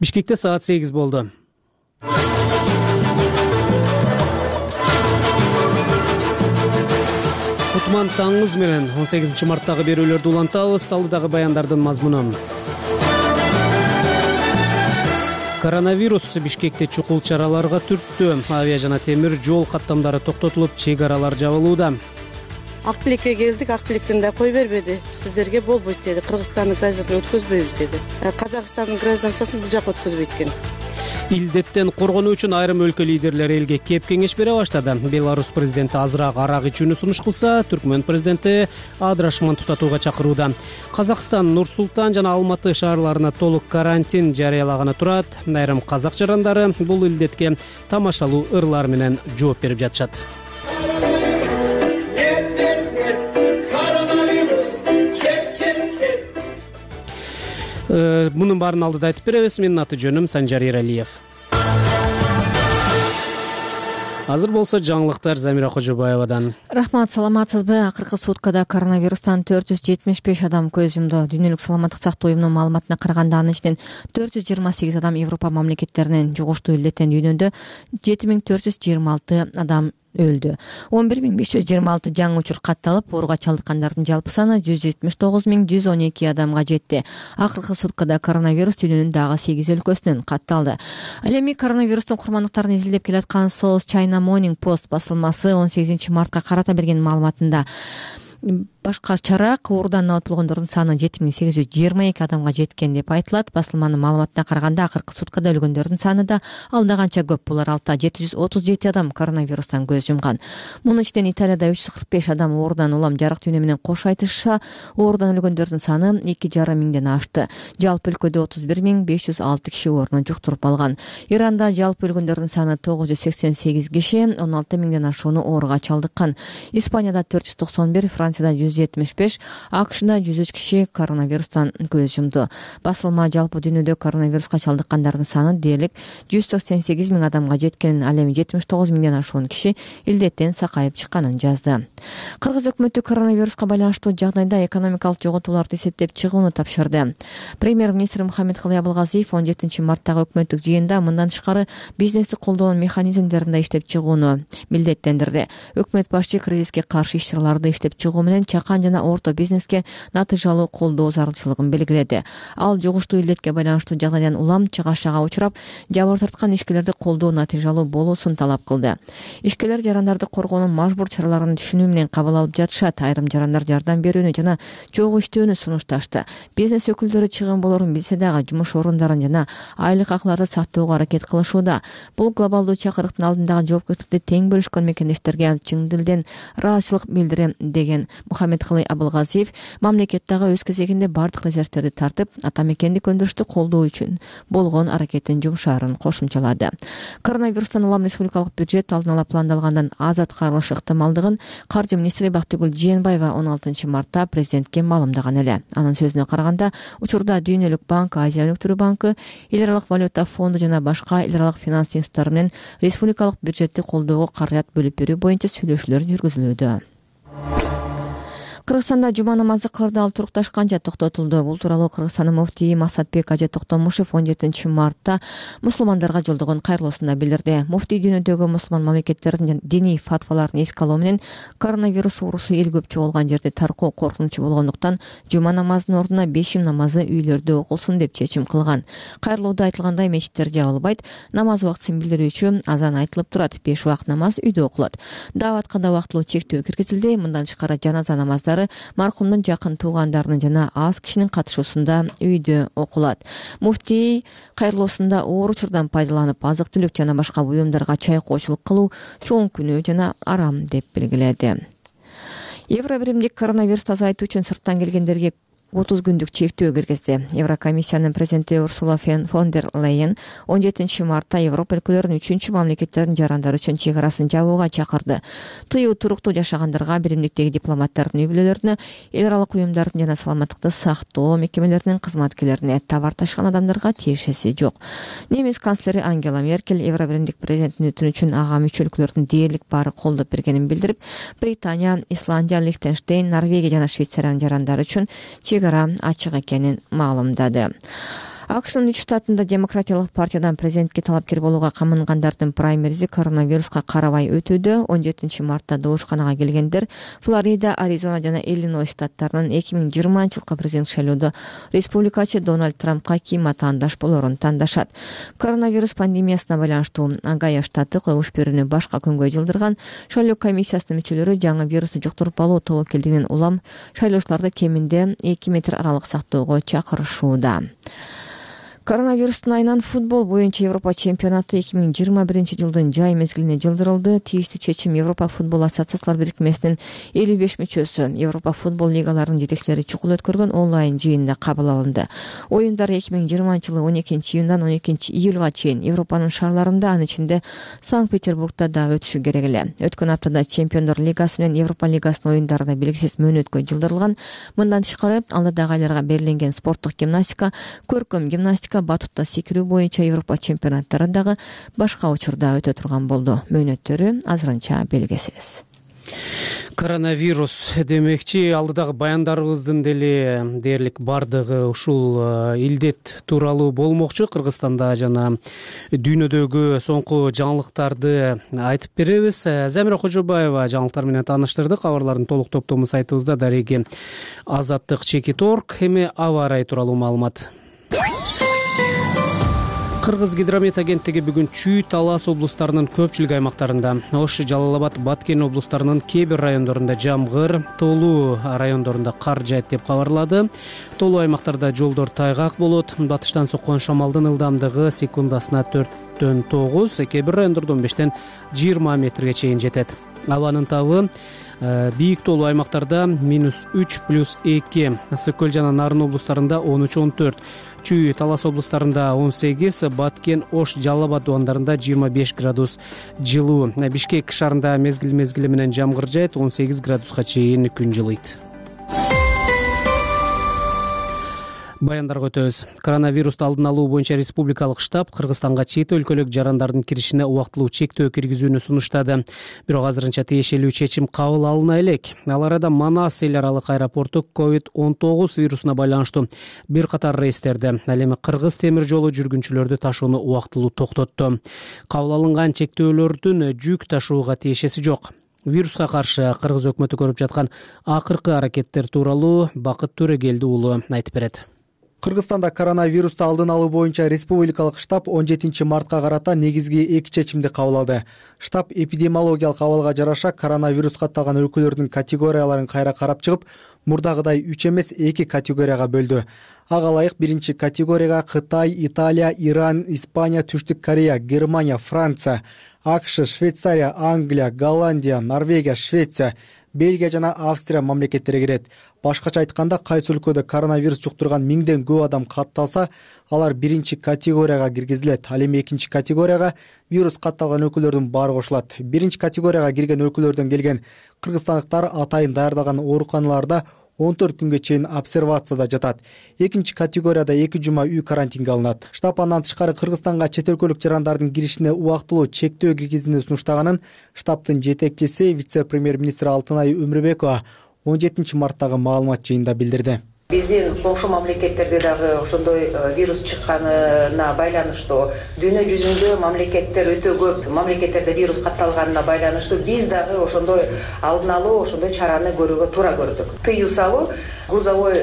Бишкекте саат 8 болду. Кутман таңыңыз менен 18 марттагы берүүлөрдү улантабыз. Алдыдагы баяндардын мазмуну. Коронавирус Бишкекте чукул чараларга түрттү. Авиа жана темир жол каттамдары токтотулуп, чек аралар жабылууда. Ак тилекке келдик, ак тилектен да кой бербеди. Сиздерге болбойт деди. Кыргызстандын гражданын өткөзбөйбүз деди. Казакстандын гражданствосын бул жак өткөзбөйт экен. Илдеттен коргонуу үчүн айрым өлкө лидерлери элге кеп кеңеш бере баштады. Беларусь президенти азыраак арак ичүүнү сунуш кылса, Түркмөн президенти адырашман тутатууга чакырууда. Казакстан Нур-Султан жана Алматы шаарларына толук карантин жарыялаганы турат. Айрым казак жарандары бул илдетке тамашалуу ырлар менен жооп берип жатышат. Мунун баарын алдыда айтып беребиз. Менин аты жөнүм Санжар Эралиев. Азыр болсо жаңылыктар Замира Кожобаевадан. Рахмат, саламатсызбы? Акыркы суткада коронавирустан 475 адам көз жумду. Дүйнөлүк саламаттык сактоо уюмунун маалыматына караганда, анын ичинен 428 адам Европа мамлекеттеринен жугуштуу илдеттен дүйнөдө 7426 адам өлдү. 11526 жаңы учур катталып, ооруга чалдыккандардын жалпы саны 179112 адамга жетти. Акыркы суткада коронавирус дүйнөнүн дагы 8 өлкөсүнөн катталды. Ал эми коронавирустун курмандыктарын изилдеп келаткан South China Morning Post басылмасы 18 мартка карата берген маалыматында башкачараак оорудан абатылгондордун саны 7822 адамга жеткен деп айтылат. Басылманын маалыматына караганда, акыркы суткада өлгөндөрдүн саны да алда канча көп. Булар алта 737 адам коронавирустан көз жумган. Мунун ичинен Италияда 345 адам оорудан улам жарык дүйнө менен кош айтышса, оорудан өлгөндөрдүн саны 2,5 миңден ашты. Жалпы өлкөдө 31506 киши оорууну жуктуруп алган. Иранда жалпы өлгөндөрдүн саны 988 киши, 16 миңден ашууну ооруга чалдыккан. Испанияда 491, Францияда 175, АКШда 103 киши коронавирустан көз жумду. Басылма жалпы дүйнөдө коронавируска чалдыккандардын саны дээрлик 188 миң адамга жеткенин, ал эми 79 миңден ашуун киши илдеттен сакайып чыкканын жазды. Кыргыз өкмөтү коронавируска байланыштуу жагдайда экономикалык жоготууларды эсептеп чыгууну тапшырды. Премьер-министр Мухаммедкалый Абылгазиев 17 марттагы өкмөттүк жыйында мындан тышкары бизнести колдоонун механизмдерин да иштеп чыгууну милдеттендирди. Өкмөт башчы кризиске каршы иш-чараларды иштеп чыгуу менен чакан жана орто бизнеске натыйжалуу колдоо зарылчылыгын белгиледи. Ал жугуштуу илдетке байланыштуу жагдайдан улам чыгашага учурап, жабыр тарткан ишкерлерди колдоо натыйжалуу болуусун талап кылды. Ишкерлер жарандарды коргоонун мажбур чараларын түшүнүү менен кабыл алып жатышат. Айрым жарандар жардам берүүнү жана чогуу иштөөнү сунушташты. Бизнес өкүлдөрү чыгым болорун билсе дагы жумуш орундарын жана айлык акыларды сактоого аракет кылышууда. Бул глобалдуу чакырыктын алдындагы жоопкерчиликти тең бөлүшкөн мекендештерге чын дилден ыраазычылык билдирем деген Мухаммедкалый Абылгазиев мамлекеттагы өз кезегинде бардык резервтерди тартып, ата мекенди көндүрүштү колдоо үчүн болгон аракеттин жумшаарын кошумчалады. Коронавирустан улам республикалык бюджет алдын ала пландалгандан аз аткарылышы ыктымалдыгын каржы министри Бактыгүл Жээнбаева 16 мартта президентке маалымдаган эле. Анын сөзүнө караганда, учурда Дүйнөлүк банк, Азия өнүктүрүү банкы, Эл аралык валюта фонду жана башка эл аралык финанс институттары менен республикалык бюджетти колдоого каражат бөлүп берүү боюнча сүйлөшүүлөр жүргүзүлүүдө. Кыргызстанда жума намазы кырдаал турукташканча токтотулду. Бул тууралуу Кыргызстандын муфтийи Масатбек Ажы Токтомушев 17 мартта мусулмандарга жолдогон кайрылуусунда билдирди. Муфтий дүйнөдөгү мусулман мамлекеттердин диний фатваларын эске алуу менен коронавирус оорусу эл көп чогулган жерде таркоо коркунучу болгондуктан жума намазынын ордуна бешим намазы үйлөрдө окулсун деп чечим кылган. Кайрылууда айтылгандай, мечиттер жабылбайт, намаз убактысын билдирүүчү азан айтылып турат, 5 убакыт намаз үйдө окулат. Дааватка да убактылуу чектөө киргизилди. Мындан тышкары жаназа намаздары маркумдун жакын туугандарынын жана аз кишинин катышуусунда үйдө окулат. Муфтий кайрылуусунда оор учурдан пайдаланып, азык-түлүк жана башка буюмдарга чайкоочулук кылуу чоң күнөө жана арам деп белгиледи. Евробиримдик коронавирусту азайтуу үчүн сырттан келгендерге 30 күндүк чектөө киргизди. Еврокомиссиянын президенти Урсула фон дер Лейен 17 мартта Европа өлкөлөрүнүн 3 мамлекеттердин жарандары үчүн чек арасын жабууга чакырды. Тыюу туруктуу жашагандарга, биримдиктеги дипломаттардын үй-бүлөлөрүнө, эл аралык уюмдардын жана саламаттыкты сактоо мекемелеринин кызматкерлерине, товар ташыган адамдарга тиешеси жок. Немис канцлери Ангела Меркель Евробиримдик президенттин өтүнү үчүн ага мүчө өлкөлөрдүн дээрлик баары колдоп бергенин билдирип, Британия, Исландия, Лихтенштейн, Норвегия жана Швейцариянын жарандары үчүн чек ара ачык экенин маалымдады. АКШнын 3 штатында демократиялык партиядан президентке талапкер болууга камынгандардын праймеризи коронавируска карабай өтүүдө. 17 мартта добушканага келгендер Флорида, Аризона жана Иллинойс штаттарынын 2020-жылкы президент шайлоодо республикачы Дональд Трампка ким атаандаш болорун тандашат. Коронавирус пандемиясына байланыштуу Огайо штаты когуш берүүнү башка күнгө жылдырган. Шайлоо комиссиясынын мүчөлөрү жаңы вирусту жуктуруп алуу тобокелдигинен улам шайлоочуларды кеминде 2 метр аралык сактоого чакырышууда. Коронавирустун айынан футбол боюнча Европа чемпионаты 2021 жылдын жай мезгилине жылдырылды. Тийиштүү чечим Европа футбол ассоциациялар бирикмесинин 55 мүчөсү Европа футбол лигаларынын жетекчилери чукул өткөргөн онлайн жыйында кабыл алынды. Оюндар 2020 жылы 12-июндан 12-июлга чейин Европанын шаарларында, анын ичинде Санкт-Петербургда да өтүшү керек эле. Өткөн аптада Чемпиондор лигасы менен Европа лигасынын оюндары да белгисиз мөөнөткө жылдырылган. Мындан тышкары алдыдагы айларга берилген спорттук гимнастика, көркөм гимнастика, батутта секирүү боюнча Европа чемпионаттары дагы башка учурда өтө турган болду. Мөөнөттөрү азырынча белгисиз. Коронавирус демекчи, алдыдагы баяндарыбыздын деле дээрлик бардыгы ушул илдет тууралуу болмокчу. Кыргызстанда жана дүйнөдөгү соңку жаңылыктарды айтып беребиз. Замира Кожобаева жаңылыктар менен тааныштырды. Кабарлардын толук топтому сайтыбызда дареги Азаттык.org. Эми аба ырайы тууралуу маалымат. Кыргыз гидромет агенттиги бүгүн Чүй, Талас облустарынын көпчүлүк аймактарында, Ош, Жалал Абад, Баткен облустарынын кээ бир райондорунда жамгыр, Тоолуу райондорунда кар жаайт деп кабарлады. Тоолуу аймактарда жолдор тайгак болот. Батыштан соккон шамалдын ылдамдыгы секундасына 4-төн 9, кээ бир райондордо 15-тен 20 метрге чейин жетет. Абанын табы бийик тоолуу аймактарда -3+2, Ысык көл жана Нарын облустарында 13-14, Чүй, Талас облустарында 18, Баткен, Ош, Жалал Абад дубандарында 25 градус жылуу. Бишкек шаарында мезгил менен жамгыр жаайт, 18 градуска чейин күн жылыйт. Баяндарга өтөбүз. Коронавирусту алдын алуу боюнча республикалык штаб Кыргызстанга чет өлкөлүк жарандардын киришине убактылуу чектөө киргизүүнү сунуштады. Бирок азырынча тиешелүү чечим кабыл алына элек. Ал арада Манас эл аралык аэропорту COVID-19 вирусуна байланыштуу бир катар рейстерди, ал эми Кыргыз темир жолу жүргүнчүлөрдү ташууну убактылуу токтотту. Кабыл алынган чектөөлөрдүн жүк ташууга тиешеси жок. Вируска каршы Кыргыз өкмөтү көрүп жаткан акыркы аракеттер тууралуу Бакыт Төрөгелди уулу айтып берет. Кыргызстанда коронавирусту алдын алуу боюнча республикалык штаб 17 мартка карата негизги 2 чечимди кабыл алды. Штаб эпидемиологиялык абалга жараша коронавирус катталган өлкөлөрдүн категорияларын кайра карап чыгып, мурдагыдай 3 эмес 2 категорияга бөлдү. Ага ылайык биринчи категорияга Кытай, Италия, Иран, Испания, Түштүк Корея, Германия, Франция, АКШ, Швейцария, Англия, Голландия, Норвегия, Швеция, Бельгия жана Австрия мамлекеттери кирет. Башкача айтканда, кайсы өлкөдө коронавирус жуктурган 1000ден көп адам катталса, алар биринчи категорияга киргизилет. Ал эми экинчи категорияга вирус катталган өлкөлөрдүн баары кошулат. Биринчи категорияга кирген өлкөлөрдөн келген кыргызстандыктар атайын даярдалган ооруканаларда 14 күнгө чейин обсервацияда жатат. Экинчи категорияда 2 жума үй карантинге алынат. Штаб андан тышкары Кыргызстанга чет өлкөлүк жарандардын киришине убактылуу чектөө киргизүүнү сунуштаганын штабтын жетекчиси вице-премьер-министр Алтынай Өмүрбекова 17 марттагы маалымат жыйынында билдирди. Биздин коңшу мамлекеттерде дагы ошондой вирус чыкканына байланыштуу, дүйнө жүзүндө мамлекеттер өтө көп мамлекеттерде вирус катталганына байланыштуу биз дагы ошондой алдын алуу, ошондой чараны көрүүгө туура көрдүк. Тыюу салуу грузовой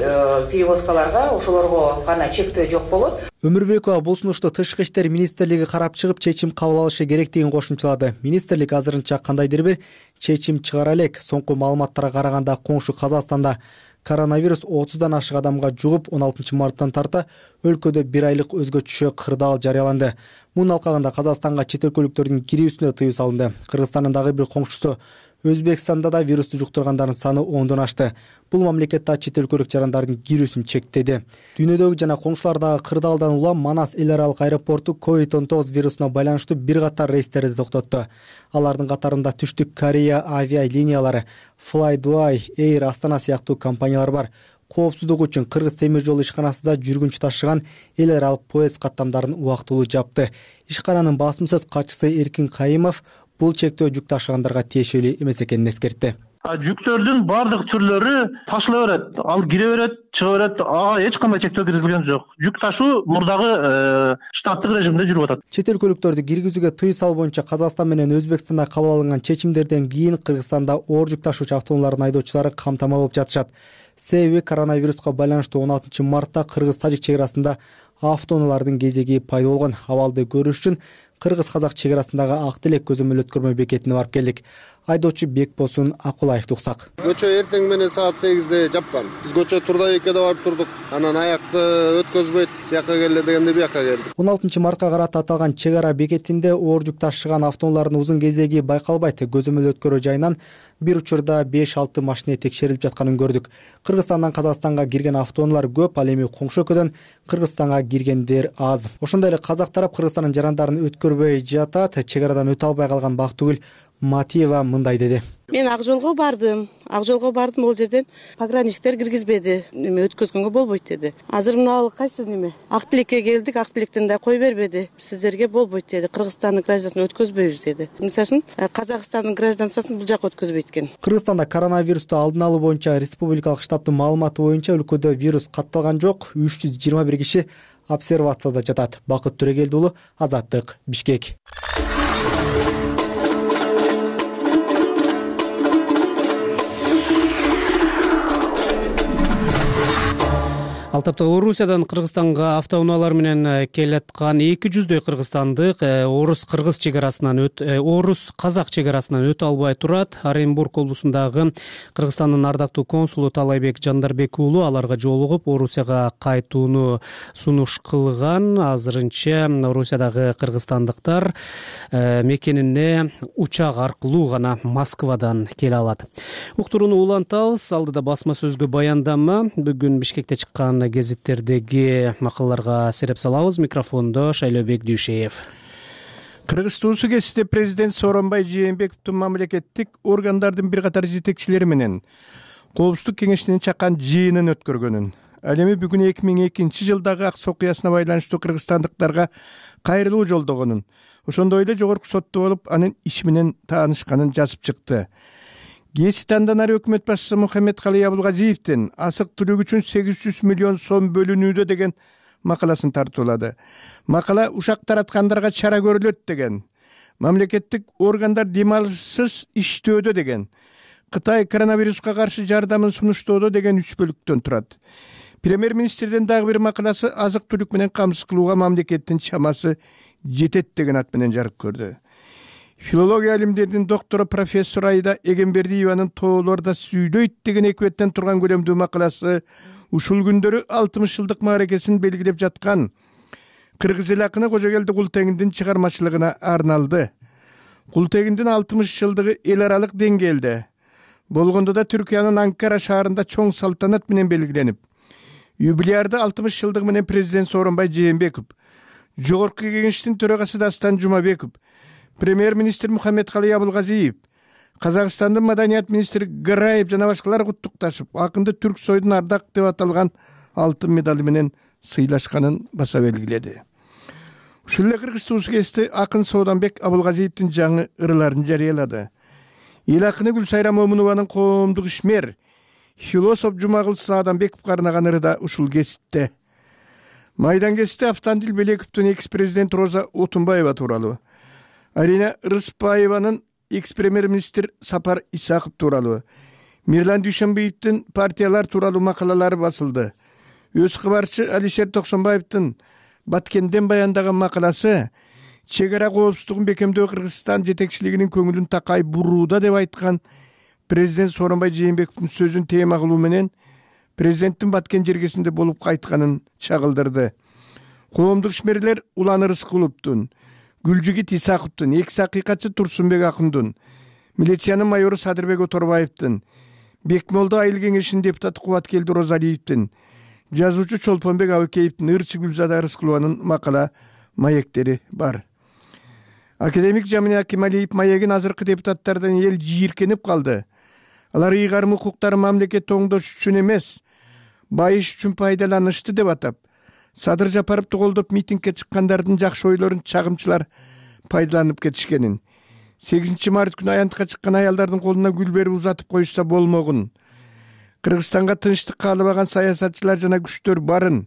перевозкаларга ошолорго гана чектөө жок болот. Өмүрбекова бул сунушту Тышкы иштер министрлиги карап чыгып чечим кабыл алышы керектигин кошумчалады. Министрлик азырынча кандайдыр бир чечим чыгара элек. Соңку маалыматтарга караганда коңшу Казакстанда коронавирус 30дан ашык адамга жугуп 16 марттан тарта өлкөдө 1 айлык өзгөчө кырдаал жарыяланды. Мунун алкагында Казакстанга чет өлкөлүктөрдүн кирүүсүнө тыюу салынды. Кыргызстандын дагы бир коңшусу Өзбекстанда да вирусту жуктургандардын саны 10дон ашты. Бул мамлекетте чет өлкөлүк жарандардын кирүүсүн чектеди. Дүйнөдөгү жана коңшулардагы кырдаалдан улам Манас эл аралык аэропорту COVID-19 вирусуна байланыштуу бир катар рейстерди токтотту. Алардын катарында Түштүк Корея авиалиниялары, Fly-Dubai, Air Астана сыяктуу компаниялар бар. Коопсуздук үчүн Кыргыз темир жолу ишканасы да жүргүнчү ташыган эл аралык поезд каттамдарын убактылуу жапты. Ишкананын басым сөз катчысы Эркин Кайымов бул чектөө жүк ташыгандарга тиешелүү эмес экенин эскертти. Жүктөрдүн баардык түрлөрү ташыла берет, ал кире берет, чыга берет, ага эч кандай чектөө киргизилген жок. Жүк ташуу мурдагы штаттык режимде жүрүп атат. Чет өлкөлүктөрдү киргизүүгө тыюу салуу боюнча Казакстан менен Өзбекстанда кабыл алынган чечимдерден кийин Кыргызстанда оор жүк ташуучу автоунаалардын айдоочулары камтама болуп жатышат. Себеби коронавируска байланыштуу 16 мартта Кыргыз-Тажик чек арасында автоунаалардын кезеги пайда болгон. Абалды көрүш үчүн Кыргыз-Казак чек арасындагы ак телек көзөмөл өткөрмө бекетине барып келдик. Айдоочу Бекбосун Акулаевди уксак. Көчө эртең менен саат 8де жапкан. Биз көчө Турдабекке да барып турдук. Анан аякты өткөзбөйт, бияка келе дегенде бияка келдик. 16 мартка карата аталган чек ара бекетинде оор жүк ташыган автоунаалардын узун кезеги байкалбайт. Көзөмөл өткөрүү жайынан бир учурда 5-6 машина текшерилип жатканын көрдүк. Кыргызстандан Казакстанга кирген автоунаалар көп, ал эми коңшу өлкөдөн Кыргызстанга киргендер аз. Ошондой эле казак тарап Кыргызстандын жарандарын өткөрбөй жатат. Чек арадан өтө албай калган Бактыгүл Матиева мындай деди. Мен ак жолго бардым. Ол жерден пограничтер киргизбеди. Өткөзгөнгө болбойт деди. Азыр мына кайсы ак тилекке келдик, ак тилектен да кой бербеди. Сиздерге болбойт деди. Кыргызстандын гражданын өткөзбөйбүз деди. Мисалы үчүн Казакстандын гражданствосын бул жака өткөзбөйт экен. Кыргызстанда коронавирусту алдын алуу боюнча республикалык штабтын маалыматы боюнча өлкөдө вирус катталган жок. 321 киши обсервацияда жатат. Бакыт Төрөгелди уулу, Азаттык, Бишкек. Ал тапта Орусиядан Кыргызстанга автоунаалар менен келаткан 200дөй кыргызстандык орус-кыргыз чек арасынан орус-казак чек арасынан өтө албай турат. Оренбург облусундагы Кыргызстандын ардактуу консулу Талайбек Жандарбек уулу аларга жолугуп Орусияга кайтууну сунуш кылган. Азырынча Орусиядагы кыргызстандыктар мекенине учак аркылуу гана Москвадан келе алат. Уктурууну улантабыз. Алдыда басма сөзгө баяндама. Бүгүн Бишкекте чыккан гезиттердеги макалаларга сереп салабыз. Микрофондо Шайлообек Дүйшеев. Кыргыз туусу кесте президент Сооронбай Жээнбековдун мамлекеттик органдардын бир катар жетекчилери менен Коопсуздук кеңешинин чаккан жыйынын өткөргөнүн, ал эми бүгүн 2002 жылдагы ак окуясына байланыштуу кыргызстандыктарга кайрылуу жолдогонун, ошондой эле жогорку сотто болуп анын иши менен таанышканын жазып чыкты. Кээси танданар өкмөт башчысы Мухаммедкалый Абылгазиевдин асык түлүк үчүн 800 миллион сом бөлүнүүдө деген макаласын тартуулады. Макала ушак тараткандарга чара көрүлөт деген, мамлекеттик органдар демалышсыз иштөөдө деген, Кытай коронавируска каршы жардамын сунуштоодо деген 3 бөлүктөн турат. Премьер-министрдин дагы бир макаласы азык түлүк менен камсыз кылууга мамлекеттин чамасы жетет деген ат менен жарык көрдү. Филология илимдеринин доктору профессор Айда Эгембердиеванын тоолордо сүйлөйт деген экибеттен турган көлөмдүү макаласы ушул күндөрү 60 жылдык мааракесин белгилеп жаткан кыргыз эл акыны Кожогелди Култегиндин чыгармачылыгына арналды. Култегиндин 60 жылдыгы эл аралык деңгээлде болгондо да Түркиянын Анкара шаарында чоң салтанат менен белгиленип, юбилярды 60 жылдыгы менен президент Сооронбай Жээнбеков, жогорку кеңештин төрагасы Дастан Жумабеков, премьер-министр Мухаммедкалый Абылгазиев, Казакстандын маданият министри Гараев жана башкалар куттукташып, акынды Түрк сойдун ардак деп аталган алтын медали менен сыйлашканын баса белгиледи. Ушул эле Кыргыз туусу кести акын Сооданбек Абылгазиевдин жаңы ырыларын жарыялады. Эл акыны Гүлсайра Момунованын коомдук ишмер, философ Жумагыл Сааданбековго арнаган ыры да ушул кесипте. Майдан кесипте Автандил Белековдун экс-президент Роза Отунбаева тууралуу, Арина Рыспаеванын экс-премьер-министр Сапар Исаков тууралуу, Мирлан Дүйшөнбиевдин партиялар тууралуу макалалары басылды. Өз кабарчы Алишер Токсонбаевдин Баткенден баяндаган макаласы чек ара коопсуздугун бекемдөө Кыргызстан жетекчилигинин көңүлүн такай бурууда деп айткан президент Сооронбай Жээнбековдун сөзүн тема кылуу менен президенттин Баткен жергесинде болуп кайтканын чагылдырды. Коомдук ишмерлер Улан Рыскуловдун, Гүлжигит Исаковдун, экс-акыйкатчы Турсунбек Акындын, милициянын майору Садырбек Оторбаевдин, Бекмолдо айыл кеңешинин депутаты Кубаткелди Розалиевдин, жазуучу Чолпонбек Абыкеевдин, ырчы Гүлзада Рыскулованын макала маектери бар. Академик Жамин Акималиев маегин азыркы депутаттардан эл жийиркенип калды. Алар ыйгарым укуктары мамлекет оңдош үчүн эмес, байыш үчүн пайдаланышты деп атап, Садыр Жапаровду колдоп митингге чыккандардын жакшы ойлорун чагымчылар пайдаланып кетишкенин, 8 март күнү аянтка чыккан аялдардын колуна гүл берип узатып коюшса болмогун. Кыргызстанга тынчтык каалабаган саясатчылар жана күчтөр барын.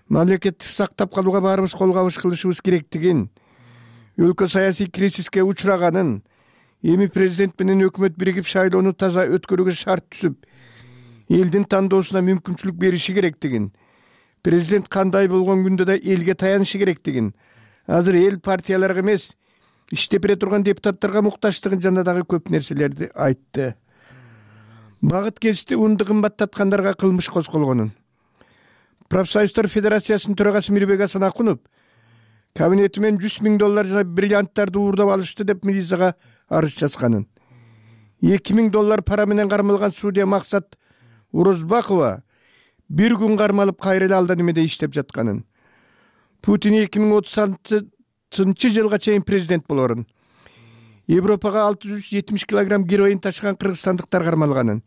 Мамлекетти сактап калууга баарыбыз кол кабыш кылышыбыз керектигин, өлкө саясий кризиске учураганын, эми президент менен өкмөт биригип шайлоону таза өткөрүүгө шарт түзүп, элдин тандоосуна мүмкүнчүлүк бериши керектигин, президент кандай болгон күндө да элге таянышы керектигин, азыр эл партияларга эмес, иштеп бере турган депутаттарга муктаждыгын жана дагы көп нерселерди айтты. Багыт кести унду кымбаттаткандарга кылмыш козголгонун. Профсоюздар Федерациясынын төрагасы Мирбек Асанакунов кабинети менен $100,000 жана бриллианттарды уурдап алышты деп милицияга арыз жазганын. $2,000 пара менен кармалган судья Максат Урозбакова бир күн кармалып кайра эле алда немеде иштеп жатканын. Путин 2030 жылга чейин президент болорун. Европага 670 килограмм героин ташыган кыргызстандыктар кармалганын.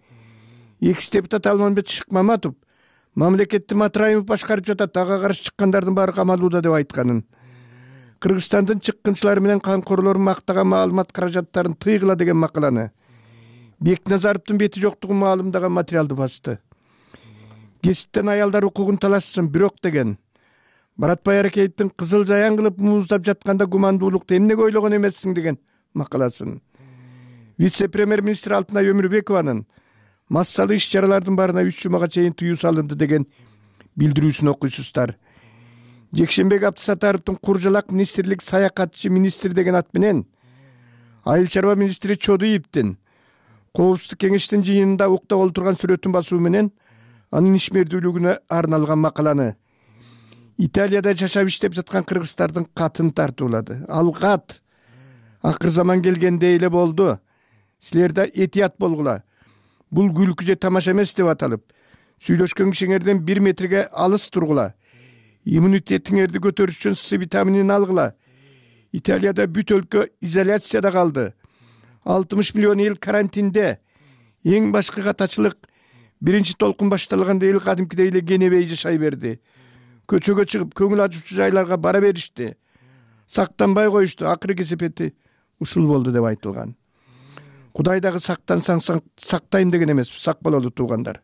Экс депутат Алмамбет Шыкмаматов мамлекетти Матраимов башкарып жатат, ага каршы чыккандардын баары камалууда деп айтканын. Кыргызстандын чыккынчылары менен камкорлорун мактаган маалымат каражаттарын тыйгыла деген макаланы Бекназаровдун бети жоктугун маалымдаган материалды басты. Кесиптен аялдар укугун талашсын бирок деген. Баратбай Аракеевдин кызыл жаян кылып мууздап жатканда гумандуулукту эмнеге ойлогон эмессиң деген макаласын. Вице-премьер-министр Алтынай Өмүрбекованын массалуу иш-чаралардын баарына 3 жумага чейин тыюу салынды деген билдирүүсүн окуйсуздар. Жекшенбек Абдысатаровдун куржалак министрлик саякатчы министр деген ат менен айыл чарба министри Чодуевдин Коопсуздук кеңештин жыйынында уктап олтурган сүрөтүн басуу менен анын ишмердүүлүгүнө арналган макаланы Италияда жашап иштеп жаткан кыргыздардын катын тартуулады. Ал кат акыр заман келгенде эле болду. Силер да этият болгула. Бул күлкү же тамаша эмес деп аталып, сүйлөшкөн кишиңерден 1 метрге алыс тургула. Иммунитетиңерди көтөрүш үчүн С витаминин алгыла. Италияда бүт өлкө изоляцияда калды. 60 миллион эл карантинде. Эң башкы катачылык биринчи толкун башталганда эл кадимкидей эле кенебей жашай берди. Көчөгө чыгып көңүл ачуучу жайларга бара беришти. Сактанбай коюшту. Акыры кесепети ушул болду деп айтылган. Кудай дагы сактансаң сактайм деген эмес, сак бололу туугандар.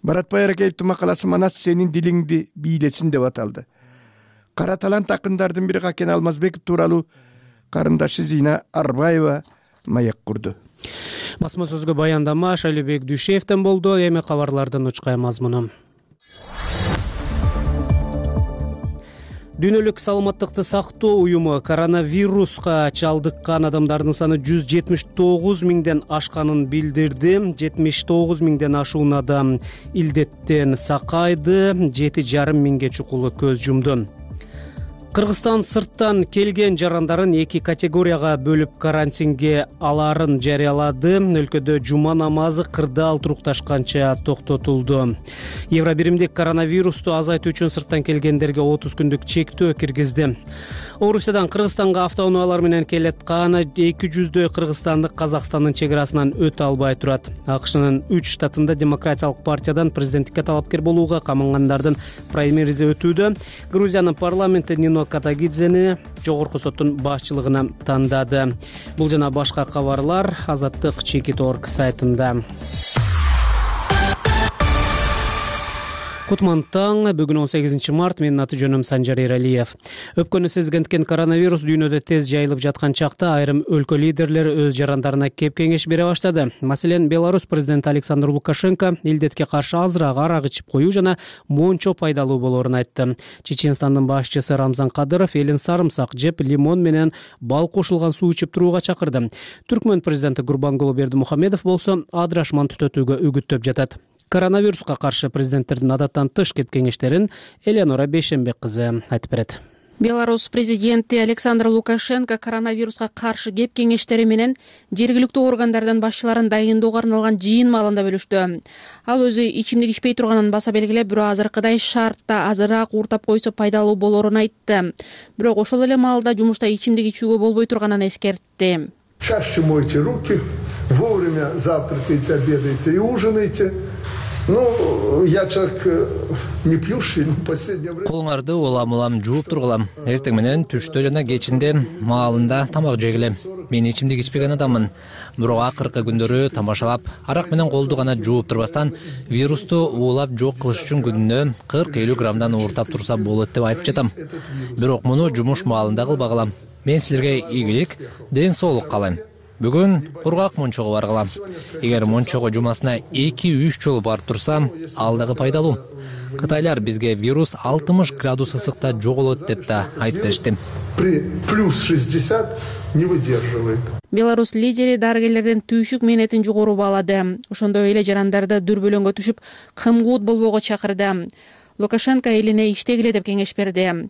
Баратбай Аракеевдин макаласы Манас сенин дилиңди бийлесин деп аталды. Кара талант акындардын бири Какен Алмазбеков тууралуу карындашы Зина Арбаева маек курду. Басма сөзгө баяндама Шайлебек Дүйшеевден болду. Эми кабарлардын учкай мазмуну. Дүйнөлүк саламаттыкты сактоо уюму коронавируска чалдыккан адамдардын саны 179 миңден ашканын билдирди. 79 миңден ашуун адам илдеттен сакайды, 7,5 миңге чукулу көз жумду. Кыргызстан сырттан келген жарандарын 2 категорияга бөлүп карантинге аларын жарыялады. Өлкөдө жума намазы кырдаал турукташканча токтотулду. Евробиримдик коронавирусту азайтуу үчүн сырттан келгендерге 30 күндүк чектөө киргизди. Орусиядан Кыргызстанга автоунаалар менен келаткан 200дөй кыргызстандык Казакстандын чек арасынан өтө албай турат. АКШнын 3 штатында Демократиялык партиядан президенттикке талапкер болууга камангандардын праймеризи өтүүдө. Грузиянын парламенти Нино Катагидзени жогорку соттун башчылыгына тандады. Бул жана башка кабарлар Азаттык Чекит.org сайтында. Кутман таң, бүгүн 18 март, менин аты жөнүм Санжар Эралиев. Өпкөнү сезгенткен коронавирус дүйнөдө тез жайылып жаткан чакта айрым өлкө лидерлери өз жарандарына кеп кеңеш бере баштады. Маселен, Беларусь президенти Александр Лукашенко илдетке каршы азыраак арак ичип коюу жана мончо пайдалуу болоорун айтты. Чеченстандын башчысы Рамзан Кадыров элин сарымсак жеп, лимон менен бал кошулган суу ичип турууга чакырды. Түркмөн президенти Гурбангулы Бердимухамедов болсо адырашман түтөтүүгө үгүттөп жатат. Коронавируска каршы президенттердин адаттан тыш кеп кеңештерин Элеонора Бейшенбек кызы айтып берет. Беларусь президенти Александр Лукашенко коронавируска каршы кеп кеңештери менен жергиликтүү органдардан башчыларын дайындоого арналган жыйын маалында бөлүштү. Ал өзү ичимдик ичпей турганын баса белгилеп, бирок азыркыдай шартта азыраак ууртап койсо пайдалуу болоорун айтты. Бирок ошол эле маалда жумушта ичимдик ичүүгө болбой турганын эскертти. Чаще мойте руки, вовремя завтракайте, обедайте и ужинайте. Я человек не пьющий, но в последнее время... Колуңарды улам жууп тургулам. Эртең менен түштө жана кечинде маалында тамак жегилем. Мен ичимдик ичпеген адаммын. Бирок акыркы күндөрү тамашалап, арак менен колду гана жууп турбастан вирусту уулап жок кылыш үчүн күнүнө 40-50 граммдан ууртап турса болот деп айтып жатам. Бирок муну жумуш маалында кылбагылам. Мен силерге ийгилик, ден соолук каалайм. Бүгүн кургак мончого баргылам. Эгер мончого жумасына 2-3 жолу барып турсам, ал дагы пайдалуу. Кытайлар бизге вирус 60 градус ысыкта жоголот деп да айтып беришти. При плюс 60 не выдерживает. Беларусь лидери дарыгерлердин түйшүк мээнетин жогору баалады. Ошондой эле жарандарды дүрбөлөңгө түшүп, кымгуут болбоого чакырды. Лукашенко элине иштегиле деп кеңеш берди.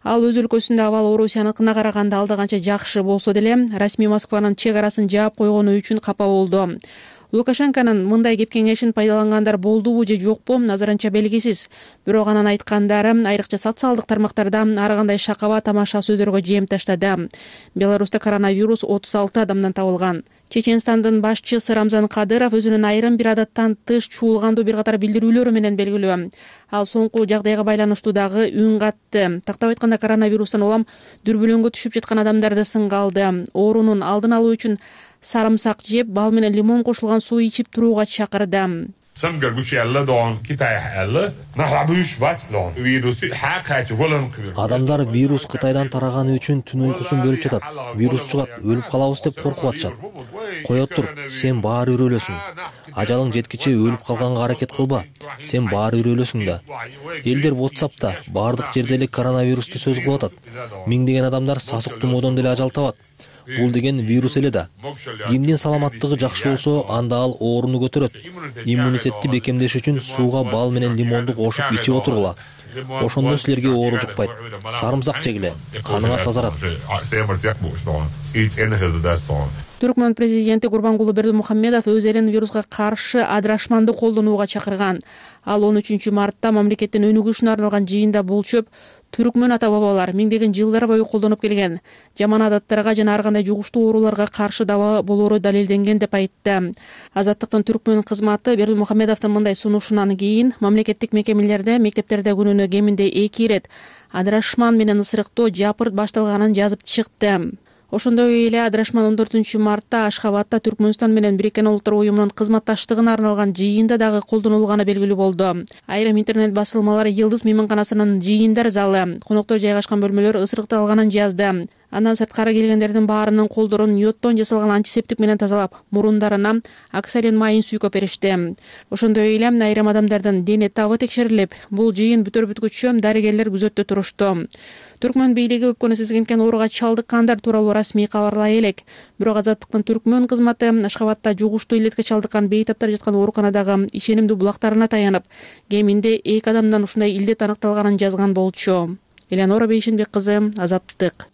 Ал өз өлкөсүндө абал Орусияныкына караганда алда канча жакшы болсо деле, расмий Москванын чек арасын жаап койгону үчүн капа болду. Лукашенконун мындай кеп кеңешин пайдалангандар болдубу же жокпу, назарынча белгисиз. Бирок анын айткандары айрыкча социалдык тармактарда ар кандай шакаба тамаша сөздөргө жем таштады. Беларусьта коронавирус 36 адамдан табылган. Чеченстандын башчысы Рамзан Кадыров өзүнүн айрым бир адаттан тыш чуулгандуу бир катар билдирүүлөрү менен белгилүү. Ал соңку жагдайга байланыштуу дагы үн катты. Тактап айтканда коронавирустан улам дүрбөлөңгө түшүп жаткан адамдарды сынга алды. Оорунун алдын алуу үчүн sarımsak жеп, бал менен лимон кошулган суу ичип турууга чакырды. Адамдар вирус Кытайдан тараганы үчүн түн уйкусун бөлүп жатат. Вирус чыгат, өлүп калабыз деп коркуп атышат. Кое тур, сен баары өлөсүң. Ажалың жеткиче өлүп калганга аракет кылба. Сен баары өлөсүң да. Элдер WhatsApp'та баардык жерде эле коронавирусту сөз кылып атат. Миңдеген адамдар сасык тумоодон деле ажал табат. Бул деген вирус эле да. Кимдин саламаттыгы жакшы болсо, анда ал ооруну көтөрөт. Иммунитетти бекемдеш үчүн сууга бал менен лимонду кошуп ичип отургула. Ошондо силерге оору жукпайт. Сарымсак жегиле, каныңар тазарат. Түркмөн президенти Гурбангулы Бердимухамедов өз элин вируска каршы адырашманды колдонууга чакырган. Ал 13 мартта мамлекеттин өнүгүшүнө арналган жыйында болчуп, түркмөн ата бабалар миңдеген жылдар бою колдонуп келген жаман адаттарга жана ар кандай жугуштуу ооруларга каршы даба болоору далилденген деп айтты. Азаттыктын түркмөн кызматы Бердимухамедовдун мындай сунушунан кийин мамлекеттик мекемелерде, мектептерде күнүнө кеминде 2 ирет адырашман менен ысырыктоо жапырт башталганын жазып чыкты. Ошондой эле адырашман 14 мартта Ашхабадта Түркмөнстан менен Бириккен Улуттар уюмунун кызматташтыгына арналган жыйында дагы колдонулганы белгилүү болду. Айрым интернет басылмалар Йылдыз мейманканасынын жыйындар залы, коноктор жайгашкан бөлмөлөр ысырыкталганын жазды. Андан сырткары келгендердин баарынын колдорун йоддон жасалган антисептик менен тазалап, мурундарына оксалин майын сүйкөп беришти. Ошондой эле айрым адамдардын дене табы текшерилип, бул жыйын бүтөр бүткүчө дарыгерлер күзөттө турушту. Түркмөн бийлиги өпкөнү сезген ооруга чалдыккандар тууралуу расмий кабарлай элек. Бирок Азаттыктын түркмөн кызматы Ашхабадта жугуштуу илетке чалдыккан бейтаптар жаткан ооруканадагы ишенимдүү булактарына таянып, кеминде 2 адамдан ушундай илдет аныкталганын жазган болчу. Элеонора Бейшенбек кызы, Азаттык.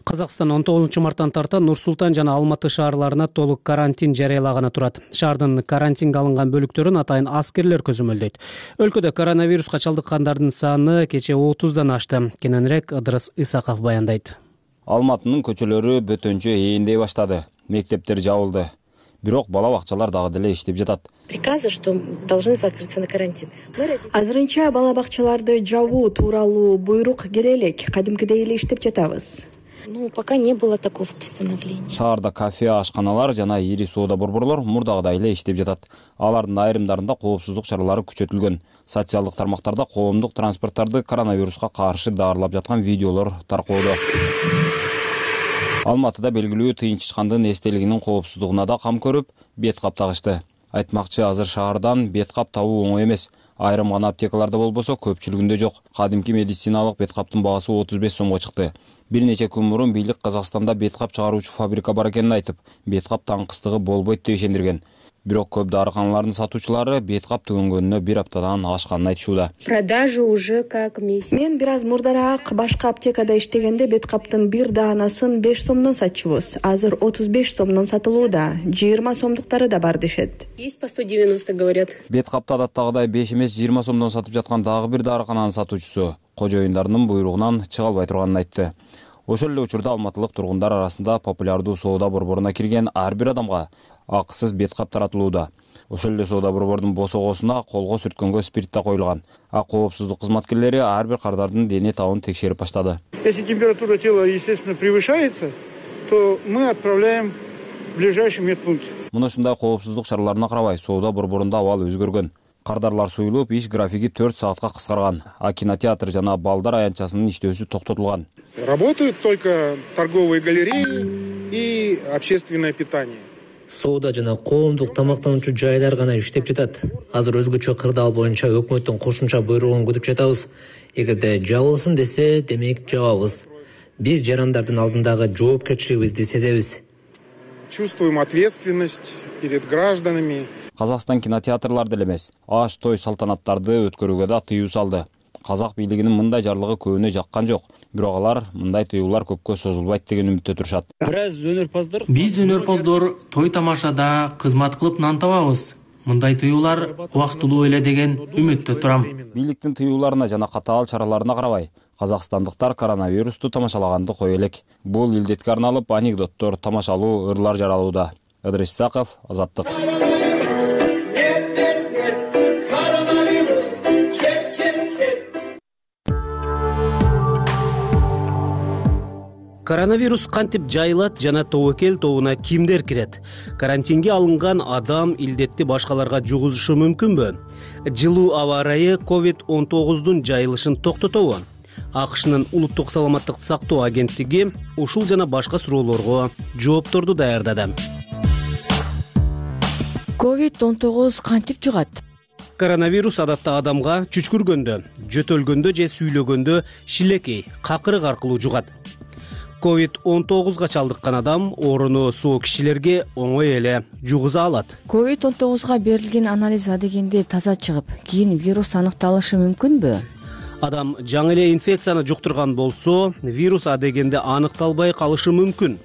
Казакстан 19 марттан тарта Нур Султан жана Алматы шаарларына толук карантин жарыялаганы турат. Шаардын карантинге алынган бөлүктөрүн атайын аскерлер көзөмөлдөйт. Өлкөдө коронавируска чалдыккандардын саны кече 30дан ашты. Кененирээк Ыдырыс Исаков баяндайт. Алматынын көчөлөрү бөтөнчө ээндей баштады. Мектептер жабылды. Бирок бала бакчалар дагы деле иштеп жатат. Приказы, что должны закрыться на карантин. Азырынча бала бакчаларды жабуу тууралуу буйрук келе элек. Кадимкидей эле иштеп жатабыз. Пока не было такого постановления. Шаарда кафе, ашканалар жана ири соода борборлор мурдагыдай эле иштеп жатат. Алардын айрымдарында коопсуздук чаралары күчөтүлгөн. Социалдык тармактарда коомдук транспорттарды коронавируска каршы даарылап жаткан видеолор таркоодо. Алматыда белгилүү тыйынчычкандын эстелигинин коопсуздугуна да кам көрүп, бет кап тагышты. Айтмакчы, азыр шаардан бет кап табуу оңой эмес. Айрым гана аптекаларда болбосо, көпчүлүгүндө жок. Кадимки медициналык бет каптын баасы 35 сомго чыкты. Бир нече күн мурун бийлик Казакстанда бет кап чыгаруучу фабрика бар экенин айтып, бет кап таңкыстыгы болбойт деп ишендирген. Бирок көп дарыканалардын сатуучулары бет кап түгөнгөнүнө 1 аптадан ашканын айтышууда. Продажа уже как месяц. Мен бир аз мурдараак башка аптекада иштегенде бет каптын бир даанасын 5 сомдон сатчубуз. Азыр 35 сомдон сатылууда. 20 сомдуктары да бар дешет. Есть по 190 говорят. Бет капты адаттагыдай 5 эмес 20 сомдон сатып жаткан дагы бир дарыкананын сатуучусу кожоюндарынын буйругунан чыга албай турганын айтты. Ошол эле учурда алматылык тургундар арасында популярдуу соода борборуна кирген ар бир адамга акысыз бет кап таратылууда. Ошол эле соода борбордун босогосуна колго сүрткөнгө спирт да коюлган. А коопсуздук кызматкерлери ар бир кардардын дене табын текшерип баштады. Если температура тела, естественно, превышается, то мы отправляем в ближайший медпункт. Мына ушундай коопсуздук чараларына карабай, соода борборунда абал өзгөргөн. Кардарлар суюлуп, иш графиги 4 саатка кыскарган. А кинотеатр жана балдар аянтчасынын иштөөсү токтотулган. Работают только торговые галереи и общественное питание. Соода жана коомдук тамактануучу жайлар гана иштеп жатат. Азыр өзгөчө кырдаал боюнча өкмөттүн кошумча буйругун күтүп жатабыз. Эгерде жабылсын десе, демек жабабыз. Биз жарандардын алдындагы жоопкерчилигибизди сезебиз. Чувствуем ответственность перед гражданами. Казакстан кинотеатрларды эле эмес, аш той салтанаттарды өткөрүүгө да тыюу салды. Казак бийлигинин мындай жарлыгы көбүнө жаккан жок. Бирок алар мындай тыюулар көпкө созулбайт деген үмүттө турушат. Биз өнөрпоздор той тамашада кызмат кылып нан табабыз. Мындай тыюулар убактылуу эле деген үмүттө турам. Бийликтин тыюуларына жана катаал чараларына карабай, казакстандыктар коронавирусту тамашалаганды кое элек. Бул илдетке арналып анекдоттор, тамашалуу ырлар жаралууда. Ыдырыс Исаков, Азаттык. Коронавирус кантип жайылат жана тобокел тобуна кимдер кирет? Карантинге алынган адам илдетти башкаларга жугузушу мүмкүнбү? Жылуу аба ырайы COVID-19 жайылышын токтотобу? АКШнын улуттук саламаттыкты сактоо агенттиги ушул жана башка суроолорго жоопторду даярдады. COVID-19 кантип жугат? Коронавирус адатта адамга чүчкүргөндө, жөтөлгөндө же сүйлөгөндө шилекей, какырык аркылуу жугат. COVID-19 чалдыккан адам орunu соо кишилерге оңой эле жугуза алат. COVID-19 берилген анализ адегенде таза чыгып, кийин вирус аныкталышы мүмкүнбү? Адам жаңы эле инфекцияны жуктурган болсо, вирус адегенде аныкталбай калышы мүмкүн.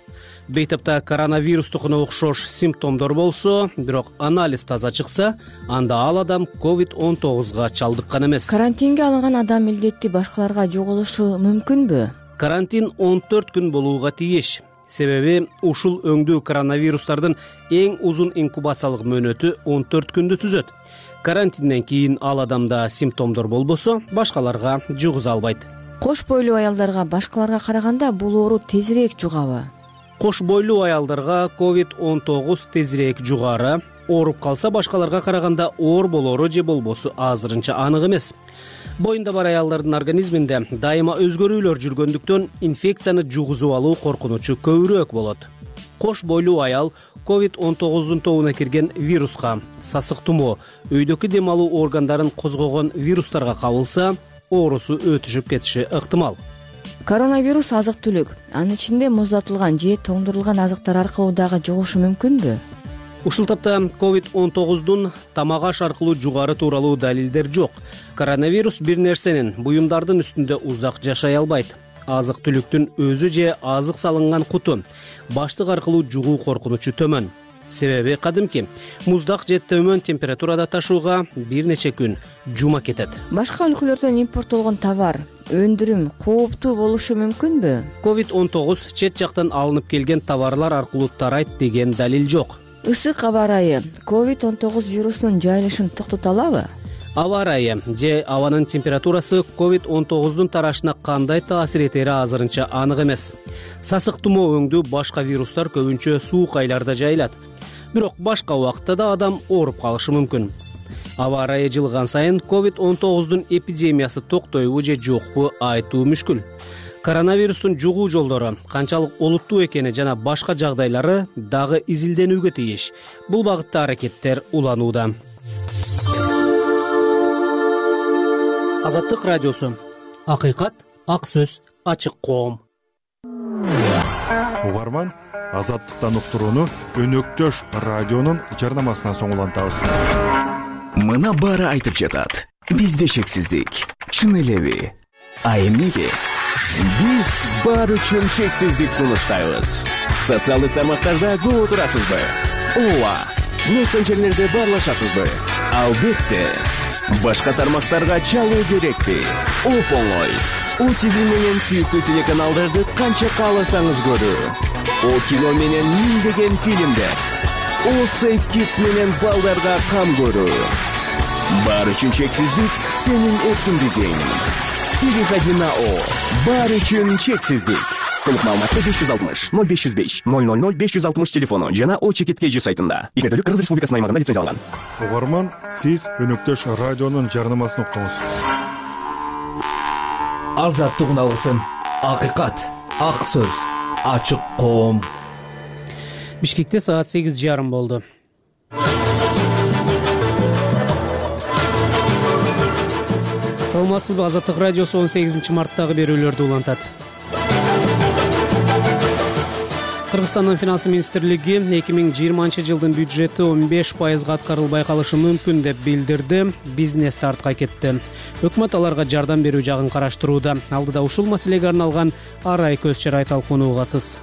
Бейтапта коронавирустукуна окшош симптомдор болсо, бирок анализ таза чыкса, анда ал адам COVID-19 чалдыккан эмес. Карантинге алынган адам илдетти башкаларга жугузушу мүмкүнбү? Карантин 14 күн болууга тийиш. Себеби ушул өңдүү коронавирустардын эң узун инкубациялык мөөнөтү 14 күндү түзөт. Карантинден кийин ал адамда симптомдор болбосо, башкаларга жугуза албайт. Кош бойлуу аялдарга башкаларга караганда бул оору тезирээк жугабы? Кош бойлуу аялдарга COVID-19 тезирээк жугары. Ооруп калса башкаларга караганда оор болору же болбосу азырынча анык эмес. Боюнда бар аялдардын организминде дайыма өзгөрүүлөр жүргөндүктөн инфекцияны жугузуп алуу коркунучу көбүрөөк болот. Кош бойлуу аял COVID-19 тобуна кирген вируска, сасык тумоо, өйдөгү дем алуу органдарын козгогон вирустарга кабылса, оорусу өтүшүп кетиши ыктымал. Коронавирус азык-түлүк, анын ичинде муздатылган же тоңдурулган азыктар аркылуу дагы жугушу мүмкүнбү? Ушул тапта COVID-19 тамак аш аркылуу жугары тууралуу далилдер жок. Коронавирус бир нерсенин, буюмдардын үстүндө узак жашай албайт. Азык-түлүктүн өзү же азык салынган куту, баштык аркылуу жугуу коркунучу төмөн. Себеби кадимки муздак же төмөн температурада ташууга бир нече күн жума кетет. Башка өлкөлөрдөн импорттолгон товар, өндүрүм кооптуу болушу мүмкүнбү? COVID-19 чет жактан алынып келген товарлар аркылуу тарайт деген далил жок. Ысык аба ырайы COVID-19 вирусунун жайылышын токтото алабы? Аба ырайы же абанын температурасы COVID-19 тарашына кандай таасир этери азырынча анык эмес. Сасык тумоо өңдүү башка вирустар көбүнчө суук айларда жайылат. Бирок башка убакытта да адам ооруп калышы мүмкүн. Аба ырайы жылган сайын COVID-19 эпидемиясы токтойбу же жокпу айтуу мүшкүл. Коронавирустун жугуу жолдору канчалык олуттуу экени жана башка жагдайлары дагы изилденүүгө тийиш. Бул багытта аракеттер уланууда. Азаттык радиосу. Акыйкат, ак сөз, ачык коом. Угарман, Азаттыктан уктурууну Өнөктөш радионун жарнамасынан соң улантабыз. Мына баары айтып жатат. Бизде шексиздик. Чын элеби? А эмнеге? Биз бар үчүн чексиздик сунуштайбыз. Социалдык тармактарда көп отурасызбы? Ооба. Мессенджерлерде баарлашасызбы? Албетте. Башка тармактарга чалуу керекпи? Оп-оңой. ОТВ менен сүйүктүү телеканалдарды канча кааласаңыз көрүү. О кино менен миңдеген фильмдер. Safe Kids менен балдарга кам көрүү. Баары үчүн чексиздик сенин эркиндигиң. Переходи.о. Баары үчүн чексиздик. Толук маалыматты 560 0505 000 560 телефону жана ОЧКТК сайтында. Ишмердүүлүк Кыргыз Республикасынын аймагында лицензияланган. Угарман, сиз өнөктөш радионун жарнамасын уктуңуз. Азаттык алгысын. Акыйкат, ак сөз, ачык коом. Бишкекте саат 8:30 болду. Саламатсызбы, Азаттык радиосу 18 марттагы берүүлөрдү улантат. Кыргызстандын финансы министрлиги 2020-жылдын бюджети 15% аткарылбай калышы мүмкүн деп билдирди. Бизнес артка кетти. Өкмөт аларга жардам берүү жагын караштырууда. Алдыда ушул маселеге арналган арай көз чарай талкуунугасыз.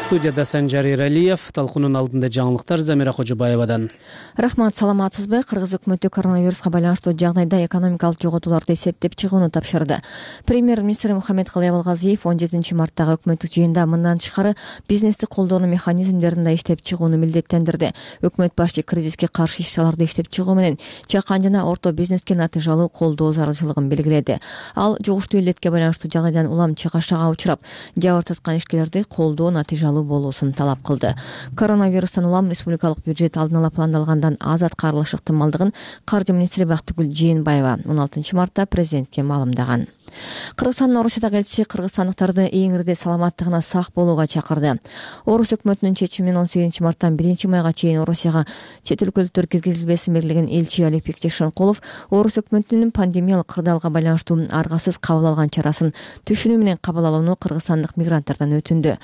Студияда Санжар Эралиев, талкуунун алдында жаңылыктар Замира Кожобаевадан. Рахмат, саламатсызбы? Кыргыз өкмөтү коронавируска байланыштуу жагдайда экономикалык жоготууларды эсептеп чыгууну тапшырды. Премьер-министр Мухаммедкалый Абылгазиев 17 марттагы өкмөттүк жыйында мындан тышкары бизнести колдоонун механизмдерин да иштеп чыгууну милдеттендирди. Өкмөт башчы кризиске каршы иш-чараларды иштеп чыгуу менен чакан жана орто бизнеске натыйжалуу колдоо зарылчылыгын белгиледи. Ал жугуштуу илдетке байланыштуу жагдайдан улам чыгашага учурап, жабыр тарткан ишкерлерди колдоо натыйжалуу болуусун талап кылды. Коронавирустан улам республикалык бюджет алдын ала пландалгандан аз аткарылыш ыктымалдыгын каржы министри Бактыгүл Жээнбаева 16 мартта президентке маалымдаган. Кыргызстандын Орусиядагы элчиси кыргызстандыктарды эңирде саламаттыгына сак болууга чакырды. Орус өкмөтүнүн чечиминен 18 марттан 1 майга чейин Орусияга чет өлкөлүктөр киргизилбесин белгилеген элчи Алипбек Жекшенкулов Орус өкмөтүнүн пандемиялык кырдаалга байланыштуу аргасыз кабыл алган чарасын түшүнүү менен кабыл алууну кыргызстандык мигранттардан өтүндү.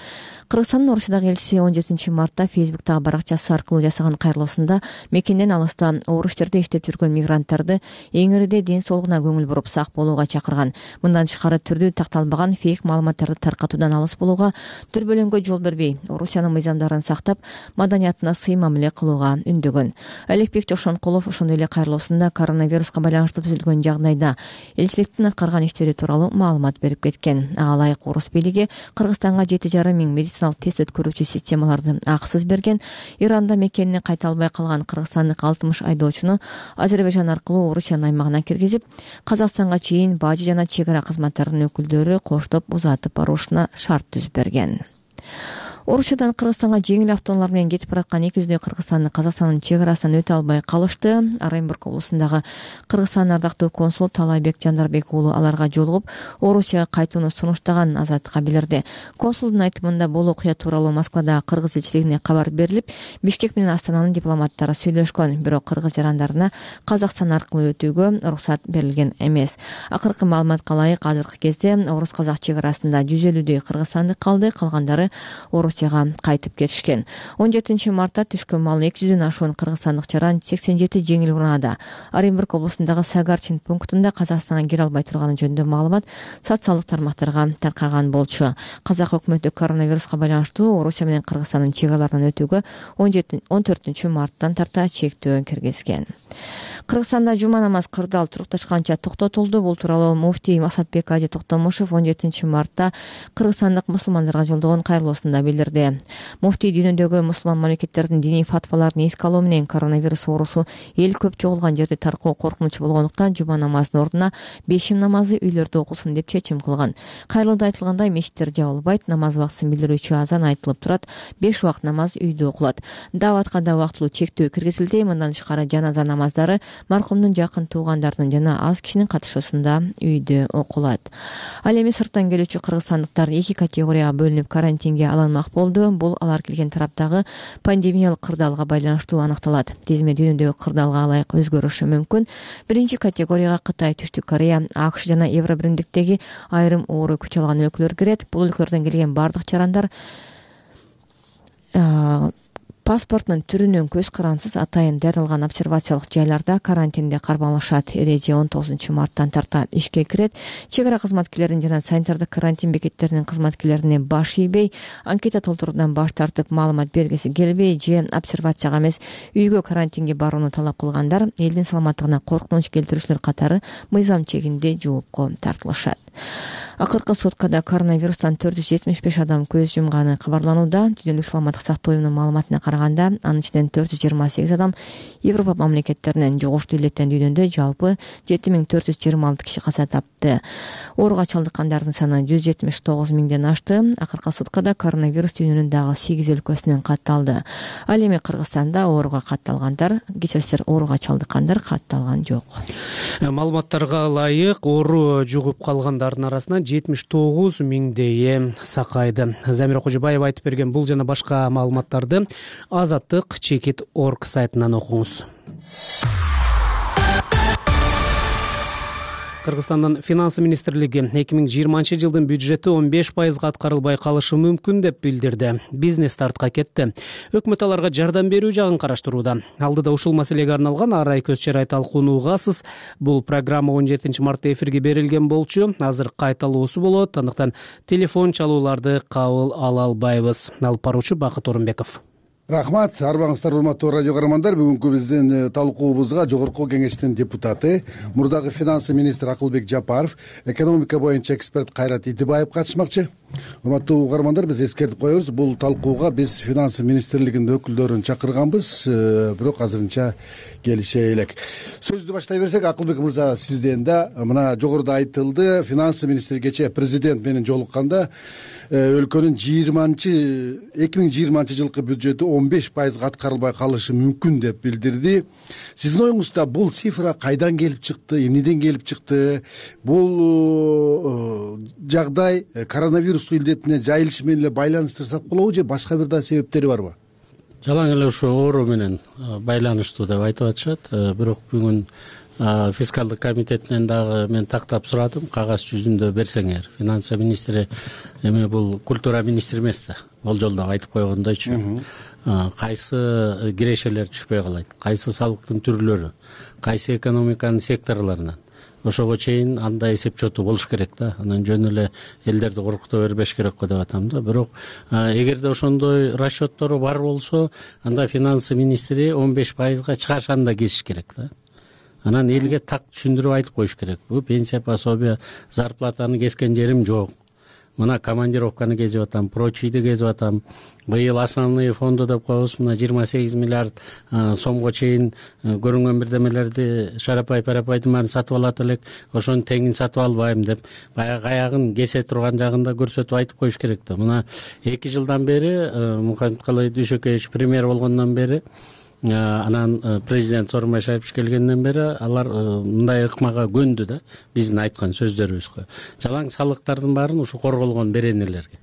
Кыргызстандын Орусиядагы элчиси 17 мартта Фейсбуктагы баракчасы аркылуу жасаган кайрылуусунда мекенден алыста орус жерде иштеп жүргөн мигранттарды эңирде ден соолугуна көңүл буруп сак болууга чакырган. Мындан тышкары түрдүү такталбаган фейк маалыматтарды таркатуудан алыс болууга, дүрбөлөңгө жол бербей, Орусиянын мыйзамдарын сактап, маданиятына сый мамиле кылууга үндөгөн. Алипбек Жекшенкулов ошондой эле кайрылуусунда коронавируска байланыштуу түзүлгөн жагдайда элчиликтин аткарган иштери тууралуу маалымат берип кеткен. Ага ылайык орус бийлиги Кыргызстанга 7,5 миң медициналык тест өткөрүүчү системаларды акысыз берген. Иранда мекенине кайта албай калган кыргызстандык 60 айдоочуну Азербайжан аркылуу Орусиянын аймагына киргизип, Казакстанга чейин бажы жана чегара кызматтарынын өкүлдөрү коштоп узатып барушуна шарт түзүп берген. Орусиядан Кыргызстанга жеңил автоунаалар менен кетип бараткан 200 кыргызстандык Казакстандын чегарасынан өтө албай калышты. Оренбург облусундагы Кыргызстандын ардактуу консул Талайбек Жандарбек уулу аларга жолугуп, Орусияга кайтууну сунуштаган Азаттыкка билдирди. Консулдун айтымында бул окуя тууралуу Москвадагы кыргыз элчилигине кабар берилип, Бишкек менен Астананын дипломаттары сүйлөшкөн, бирок кыргыз жарандарына Казакстан аркылуу өтүүгө уруксат берилген эмес. Акыркы маалыматка ылайык, азыркы кезде орус-казак чегарасында 150 кыргызстандык калды, калгандары Орусияга кайтып кетишкен. 17 мартта түшкөн маалы 200дөн ашуун кыргызстандык жаран 87 жеңил унаада Оренбург облусундагы Сагарчин пунктунда Казакстанга кире албай турганы жөнүндө маалымат социалдык тармактарга таркаган болчу. Казак өкмөтү коронавируска байланыштуу Орусия менен Кыргызстандын чегараларынан өтүүгө 14 марттан тарта чектөө киргизген. Кыргызстанда жума намаз кырдаал турукташканча токтотулду. Бул тууралуу муфтий Масатбек Ажы Токтомушев 17 мартта кыргызстандык мусулмандарга жолдогон кайрылуусунда билдирди. Муфтий дүйнөдөгү мусулман мамлекеттердин диний фатваларын эске алуу менен коронавирус оорусу эл көп чогулган жерде таркоо коркунучу болгондуктан жума намазынын ордуна бешим намазы үйлөрдө окулсун деп чечим кылган. Кайрылууда айтылгандай, мечиттер жабылбайт, намаз убактысын билдирүүчү азан айтылып турат, 5 убакыт намаз үйдө окулат. Дааватка да убактылуу чектөө киргизилди. Мындан тышкары жаназа намаздары маркумдун жакын туугандарынын жана аз кишинин катышуусунда үйдө окулат. Ал эми сырттан келүүчү кыргызстандыктар 2 категорияга бөлүнүп карантинге алынмак болду. Бул алар келген тараптагы пандемиялык кырдаалга байланыштуу аныкталат. Тизме дүйнөдөгү кырдаалга ылайык өзгөрүшү мүмкүн. Биринчи категорияга Кытай, Түштүк Корея, АКШ жана Евробиримдиктеги айрым оору күч алган өлкөлөр кирет. Бул өлкөлөрдөн келген бардык жарандар паспортунун түрүнөн көз карансыз атайын дарылган обсервациялык жайларда карантинде кармалышат. Эреже 19 марттан тарта ишке кирет. Чегара кызматкерлерин жана санитардык карантин бекеттеринин кызматкерлерине баш ийбей, анкета толтуруудан баш тартып, маалымат бергиси келбей же обсервацияга эмес үйгө карантинге барууну талап кылгандар элдин саламаттыгына коркунуч келтирүүчүлөр катары мыйзам чегинде жоопко тартылышат. Акыркы суткада коронавирустан 475 адам көз жумганы кабарланууда. Дүйнөлүк саламаттык сактоо уюмунун маалыматына караганда, анын ичинен 428 адам Европа мамлекеттеринен жугуштуу илеттен дүйнөдө жалпы 7426 киши каза тапты. Ооруга чалдыккандардын саны 179 миңден ашты. Акыркы суткада коронавирус дүйнөнүн дагы 8 өлкөсүнөн катталды. Ал эми Кыргызстанда ооруга катталгандар, кечирсиздер, ооруга чалдыккандар катталган жок. Маалыматтарга ылайык оору жугуп калгандардын арасынан 79 миңдейи сакайды. Замира Кожобаева айтып берген бул жана башка маалыматтарды azattik.org сайтынан окуңуз. Кыргызстандын финансы министрлиги 2020 жылдын бюджети 15% аткарылбай калышы мүмкүн деп билдирди. Бизнес тартка кетти. Өкмөт аларга жардам берүү жагын караштырууда. Алдыда ушул маселеге арналган ар ай көз чарай талкуунуугасыз. Бул программа 17 мартта эфирге берилген болчу. Азыр кайталоосу болот. Андыктан телефон чалууларды кабыл ала албайбыз. Алып баруучу Бакыт Орунбеков. Рахмат, арбаңыздар, урматтуу радио көрөрмандар. Бүгүнкү биздин талкуубузга жогорку кеңештин депутаты, мурдагы финансы министри Акылбек Жапаров, экономика боюнча эксперт Кайрат Итибаев катышмакчы. Урматтуу угармандар, биз эскертип коебуз, бул талкууга биз финансы министрлигинин өкүлдөрүн чакырганбыз, бирок азырынча келише элек. Сөздү баштай берсек, Акылбек мырза, сизден да мына жогоруда айтылды, финансы министри кечээ президент менен жолукканда өлкөнүн 2020 жылкы бюджети 15% аткарылбай калышы мүмкүн деп билдирди. Сиздин оюңузда бул цифра кайдан келип чыкты, эмнеден келип чыкты? Бул жагдай коронавирустук илдетине жайылышы менен эле байланыштырсак болобу же башка бир да себептери барбы? Жалаң эле ошо оору менен байланыштуу деп айтып атышат. Бирок бүгүн фискалдык комитетинен дагы мен тактап сурадым, кагаз жүзүндө берсеңер. Финансы министри эми бул культура министри эмес да. Болжолдоп айтып койгондойчу. Кайсы кирешелер түшпөй калат, кайсы салыктын түрлөрү, кайсы экономиканын секторлорунан. Ошого чейин андай эсеп-чоту болуш керек да. Анан жөн эле элдерди коркута бербеш керек го деп атам да. Бирок эгерде ошондой расчеттору бар болсо, анда финансы министри 15%га чыгашаны да кесиш керек да. Анан элге так түшүндүрүп айтып коюш керек. Бул пенсия, пособие, зарплатаны кескен жерим жок. Мына командировканы кезип атам, прочийди кезип атам. Быйыл основные фонду деп коебуз, мына 28 миллиард сомго чейин көрүнгөн бирдемелерди шарапай-парапайдын баарын сатып алат элек, ошонун теңин сатып албайм деп баягы аягын кесе турган жагында көрсөтүп айтып коюш керек да. Мына 2 жылдан бери Мухаммед Калай Дүйшөкеевич премьер болгондон бери, анан президент Сооронбай Шарипович келгенден бери алар мындай ыкмага көндү да, биздин айткан сөздөрүбүзгө. Жалаң салыктардын баарын ушу корголгон беренелерге.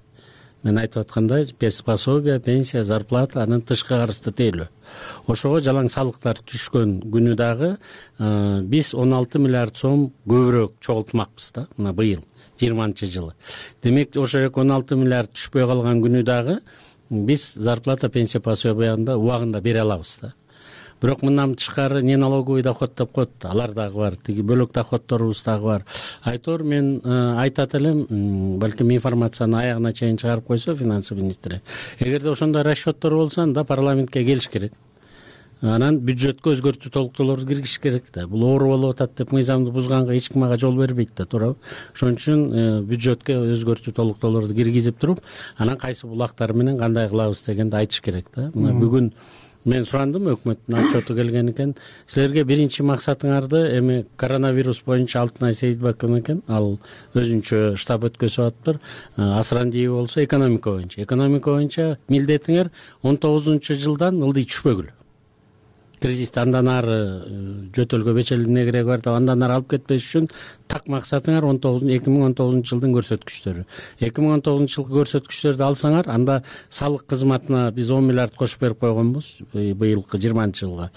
Мен айтып аткандай, пособие, пенсия, зарплата, анын тышкы карызды тейлөө. Ошого жалаң салыктар түшкөн күнү дагы биз 16 миллиард сом көбүрөөк чогултмакпыз да, мына быйыл 20-жылы. Демек, ошо 16 миллиард түшпөй калган күнү дагы биз зарплата, пенсия, пособияны убагында бере алабыз да. Бирок мындан тышкары не налоговый доход деп коет, алар дагы бар, тиги бөлөк доходторубуз дагы бар. Айтор мен айтат элем, балким информацияны аягына чейин чыгарып койсо финансы министри. Эгерде ошондой расчеттор болсо, анда парламентке келиш керек. Анан бюджетке өзгөртүү толуктоолорду киргизиш керек да. Бул оору болуп атат деп мыйзамды бузганга эч ким ага жол бербейт да, туурабы? Ошон үчүн бюджетке өзгөртүү толуктоолорду киргизип туруп, анан кайсы булактар менен кандай кылабыз дегенди айтыш керек да. Мына бүгүн мен сурандым, өкмөттүн отчету келген экен. Силерге биринчи максатыңарды эми коронавирус боюнча Алтынай Сейитбек экен, ал өзүнчө штаб өткөзүп атыптыр. Асрандиев болсо экономика боюнча. Экономика боюнча милдетиңер 19-жылдан ылдый түшпөгүл. Кризисти андан ары жөтөлгө бечелине кереги бар деп андан ары алып кетпеш үчүн так максатыңар 2019 жылдын көрсөткүчтөрү. 2019 жылкы көрсөткүчтөрдү алсаңар, анда салык кызматына биз 10 миллиард кошуп берип койгонбуз быйылкы 20-жылга.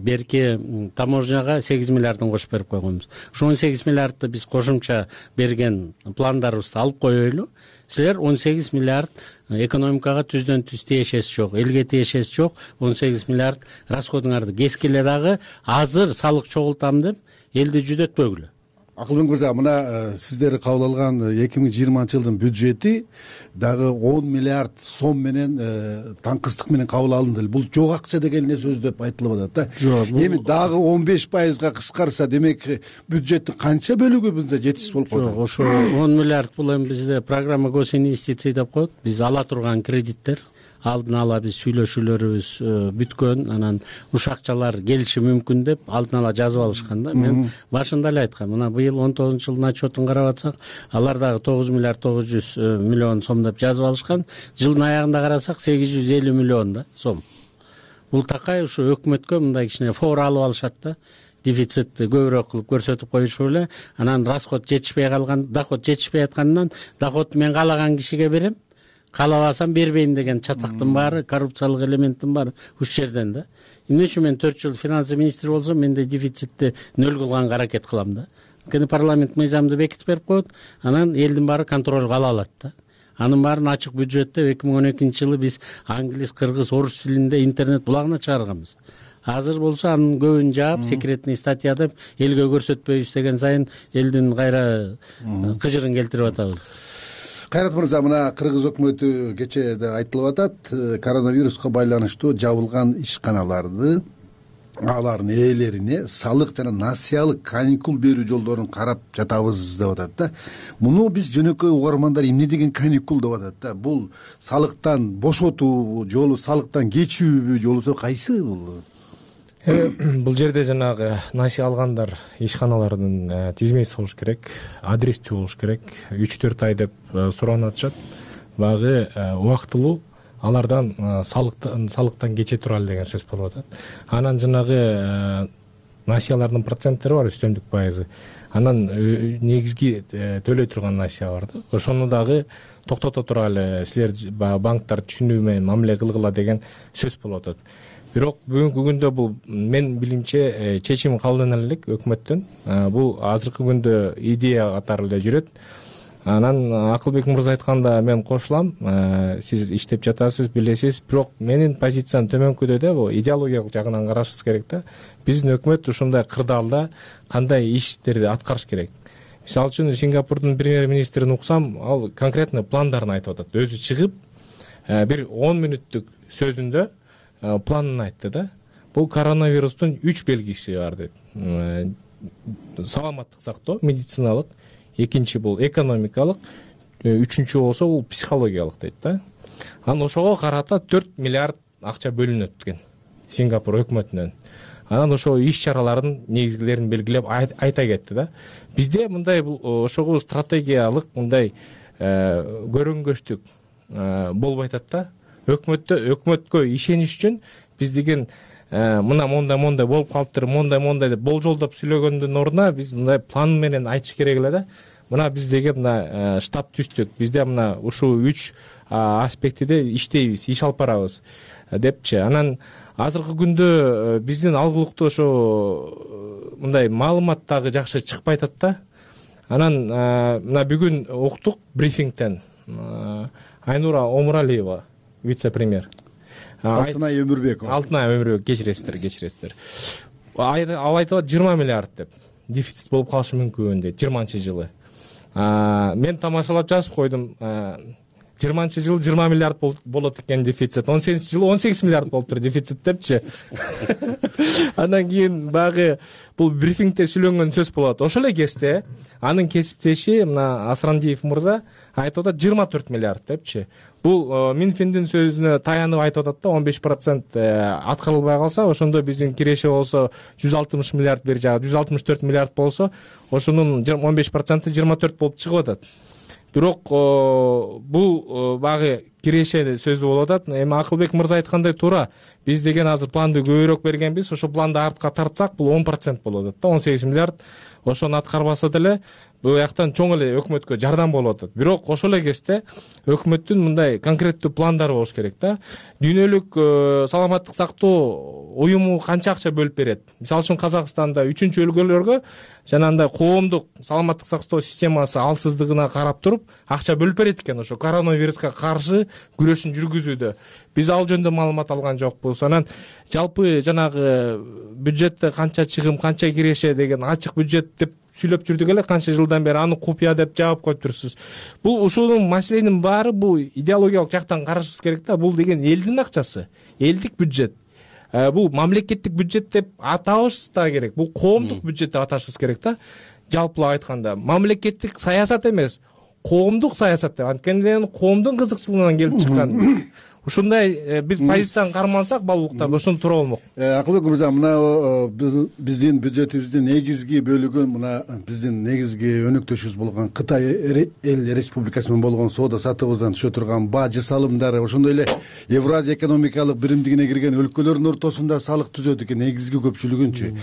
Берки таможняга 8 миллиардын кошуп берип койгонбуз. Ошо 18 миллиардты биз кошумча берген пландарыбызды алып коелу. Силер 18 миллиард экономикага түздөн түз тиешеси жок, элге тиешеси жок, 18 миллиард расходуңарды кескиле дагы азыр салык чогултам деп элди жүдөтпөгүлө. Акылбек мырза, мына сиздер кабыл алган 2020-жылдын бюджети дагы 10 миллиард сом менен таңкыстык менен кабыл алынды. Бул жок акча деген эле сөз деп айтылып атат да. Эми дагы 15%га кыскарса, демек бюджеттин канча бөлүгү бизде жетишсиз болуп калат? Жок, ошо 10 миллиард бул эми бизде программа госинвестиций деп коет. Биз ала турган кредиттер, алдын ала биз сүйлөшүүлөрүбүз бүткөн, анан ушул акчалар келиши мүмкүн деп алдын ала жазып алышкан да. Мен башында эле айткам, мына быйыл 19-жылдын отчетун карап атсак, алар дагы 9 миллиард 900 миллион сом деп жазып алышкан. Жылдын аягында карасак 850 миллион да сом. Бул такай ушу өкмөткө мындай кичине фор алып алышат да. Дефицитти көбүрөөк кылып көрсөтүп коюшуп эле, анан расход жетишпей калган, доход жетишпей атканынан доходду мен каалаган кишиге берем, каалабасам бербейм деген чатактын баары, коррупциялык элементтин баары ушул жерден да. Эмне үчүн мен 4 жыл финансы министри болсом, мен де дефицитти нөл кылганга аракет кылам да. Анткени парламент мыйзамды бекитип берип коет, анан элдин баары контролго ала алат да. Анын баарын ачык бюджетте 2012-жылы биз англис, кыргыз, орус тилинде интернет булагына чыгарганбыз. Азыр болсо анын көбүн жаап, секретный статья деп элге көрсөтпөйбүз деген сайын элдин кайра кыжырын келтирип атабыз. Кайрат мырза, мына кыргыз өкмөтү кечээ да айтылып атат, коронавируска байланыштуу жабылган ишканаларды, алардын ээлерине салык жана насыялык каникул берүү жолдорун карап жатабыз деп атат да. Муну биз жөнөкөй угармандар эмне деген каникул деп атат да. Бул салыктан бошотуу жолу, салыктан кечүүбү жолусу кайсы бул? Бул жерде жанагы насыя алгандар ишканалардын тизмеси болуш керек, адрестүү болуш керек. 3-4 ай деп суранып атышат. Багы убактылуу алардан салыктан кече туралы деген сөз болуп атат. Анан жанагы насыялардын проценттери бар, үстөмдүк пайызы. Анан негизги төлөй турган насыя бар да. Ошону дагы токтото туралы, силер банктар түшүнүү менен мамиле кылгыла деген сөз болуп атат. Бирок бүгүнкү күндө бул мен билимче чечим кабылдана элек өкмөттөн. Бул азыркы күндө идея катары эле жүрөт. Анан Акылбек мырза айтканда мен кошулам. Сиз иштеп жатасыз, билесиз, бирок менин позициям төмөнкүдө да, бул идеологиялык жагынан карашыбыз керек да. Биздин өкмөт ушундай кырдаалда кандай иштерди аткарыш керек. Мисалы үчүн Сингапурдун премьер-министрин уксам, ал конкретно пландарын айтып атат. Өзү чыгып, бир 10 мүнөттүк сөзүндө планын айтты да. Бул коронавирустун 3 белгиси бар деп. Саламаттык сактоо, медициналык, экинчи бул экономикалык, үчүнчү болсо бул психологиялык дейт да. Анан ошого карата 4 миллиард акча бөлүнөт экен Сингапур өкмөтүнөн. Анан ошо иш чараларын негизгилерин белгилеп айта кетти да. Бизде мындай ошого стратегиялык мындай көрөнгөчтүк болбой атат да. Өкмөткө ишениш үчүн биз деген мына мондай болуп калыптыр, мондай деп болжолдоп сүйлөгөндүн ордуна биз мындай план менен айтыш керек эле да. Мына биз деген мына штаб түздүк, бизде мына ушул 3 аспектиде иштейбиз, иш алып барабыз депчи. Анан азыркы күндө биздин алгылыктуу ошо мындай маалымат дагы жакшы чыкпай атат да. Анан мына бүгүн уктук брифингден Айнура Омуралиева, вице-премьер. Алтынай Өмүрбекова, кечиресиздер. Ал айтып 20 миллиард деп дефицит болуп калышы мүмкүн дейт 20-жылы. Мен тамашалап жазып койдум. 20-жылы 20 миллиард болот экен дефицит. 18-жылы 18 миллиард болуптур дефицит депчи. Андан кийин багы бул брифингде сүйлөнгөн сөз болот. Ошол эле кезде анын кесиптеши мына Асрандиев мырза айтып атат 24 миллиард депчи. Бул Минфиндин сөзүнө таянып айтып атат да, 15% аткарылбай калса, ошондо биздин киреше болсо 160 миллиард бери жагы 164 миллиард болсо, ошонун 15% 24 болуп чыгып атат. Бирок бул багы киреше сөзү болуп атат. Эми Акылбек мырза айткандай туура. Биз деген азыр планды көбүрөөк бергенбиз. Ошо планды артка тартсак, бул 10% болуп атат да, 18 миллиард. Ошону аткарбаса деле бул жактан чоң эле өкмөткө жардам болуп атат. Бирок ошол эле кезде өкмөттүн мындай конкреттүү пландары болуш керек да. Дүйнөлүк саламаттык сактоо уюму канча акча бөлүп берет? Мисалы үчүн Казакстанда 3-чү өлкөлөргө жанагындай коомдук саламаттык сактоо системасы алсыздыгына карап туруп акча бөлүп берет экен ошо коронавируска каршы күрөшүн жүргүзүүдө. Биз ал жөнүндө маалымат алган жокпуз. Анан жалпы жанагы бюджетте канча чыгым, канча киреше деген ачык бюджет деп сүйлөп жүрдүк эле канча жылдан бери, аны купуя деп жаап коюп турсуз. Бул ушунун маселенин баары бул идеологиялык жактан карашыбыз керек да. Бул деген элдин акчасы, элдик бюджет. Бул мамлекеттик бюджет деп атабыз да керек. Бул коомдук бюджет деп аташыбыз керек да. Жалпылап айтканда, мамлекеттик саясат эмес, коомдук саясат деп. Анткени коомдун кызыкчылыгынан келип чыккан. Ушундай биз позицияны кармансак балуулуктарда ошондо туура болмок. Акылбек мырза, мына биздин бюджетибиздин негизги бөлүгүн мына биздин негизги өнөктөшүбүз болгон Кытай эл республикасы менен болгон соода сатыбыздан түшө турган бажы салымдары, ошондой эле Евразия экономикалык биримдигине кирген өлкөлөрдүн ортосунда салык түзөт экен, негизги көпчүлүгүнчү.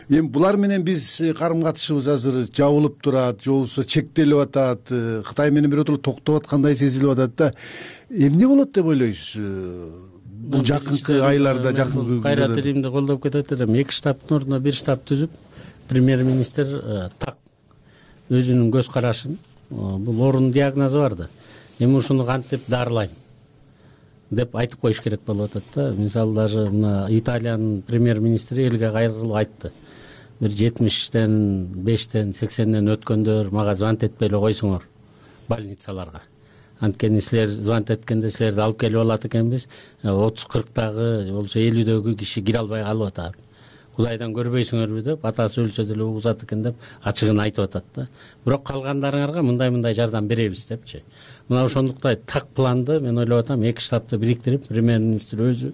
Эми булар менен биз карым катышыбыз азыр жабылып турат, же болбосо чектелип атат, Кытай менен биротоло токтоп аткандай сезилип атат да. Эмне болот деп ойлойсуз? Бул жакынкы айларда, жакынкы кайрат Римди колдоп кетет элем. 2 штабтын ордуна 1 штаб түзүп, премьер-министр так өзүнүн көз карашын, бул оорунун диагнозу бар да. Эми ушуну кантип дарылайм деп айтып коюш керек болуп атат да. Мисалы даже мына Италиянын премьер-министри элге кайрылып айтты. Бир 70тен, 5тен, 80ден өткөндөр мага звонок этпей эле койсоңор больницаларга. Анткени силер звонок эткенде силерди алып келип алат экенбиз, 30-40дагы, болсо 50дөгү киши кире албай калып атат. Кудайдан көрбөйсүңөрбү деп, атасы өлсө деле угузат экен деп ачыгын айтып атат да. Бирок калгандарыңарга мындай жардам беребиз депчи. Мына ошондуктан так планды мен ойлоп атам, 2 штабты бириктирип, премьер-министр өзү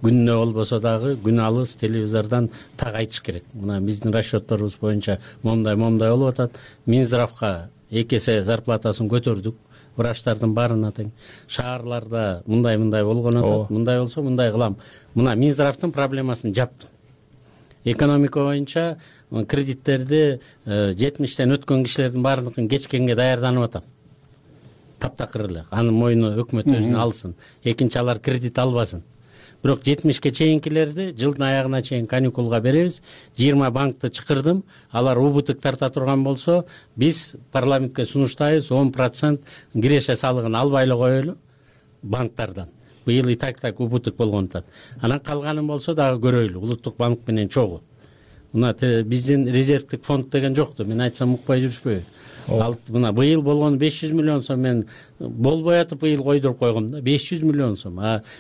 күнүнө болбосо дагы күн алыс телевизордон так айтыш керек. Мына биздин расчетторубуз боюнча момундай болуп атат. Минздравга 2 эсе зарплатасын көтөрдүк. Врачтардын баарына тең. Шаарларда мындай болгон атат. Мындай болсо мындай кылам. Мына Минздравдын проблемасын жаптым. Экономика боюнча кредиттерди 70тен өткөн кишилердин баарыныкын кечкенге даярданып атам. Таптакыр эле. Анын мойну өкмөт өзүнө алсын. Экинчи алар кредит албасын. Бирок 70ке чейинкилерди жылдын аягына чейин каникулга беребиз. 20 банкты чакырдым. Алар убытык тарта турган болсо, биз парламентке сунуштайбыз, 10% киреше салыгын албай эле коелу банктардан. Быйыл и так убытык болгон атат. Анан калганын болсо дагы көрөйлү, улуттук банк менен чогуу. Мына биздин резервдик фонд деген жокту. Мен айтсам укпай жүрүшпөйбү. Мына быйыл болгон 500 миллион сом мен болбой атып быйыл койдуруп койгом да. 500 миллион сом.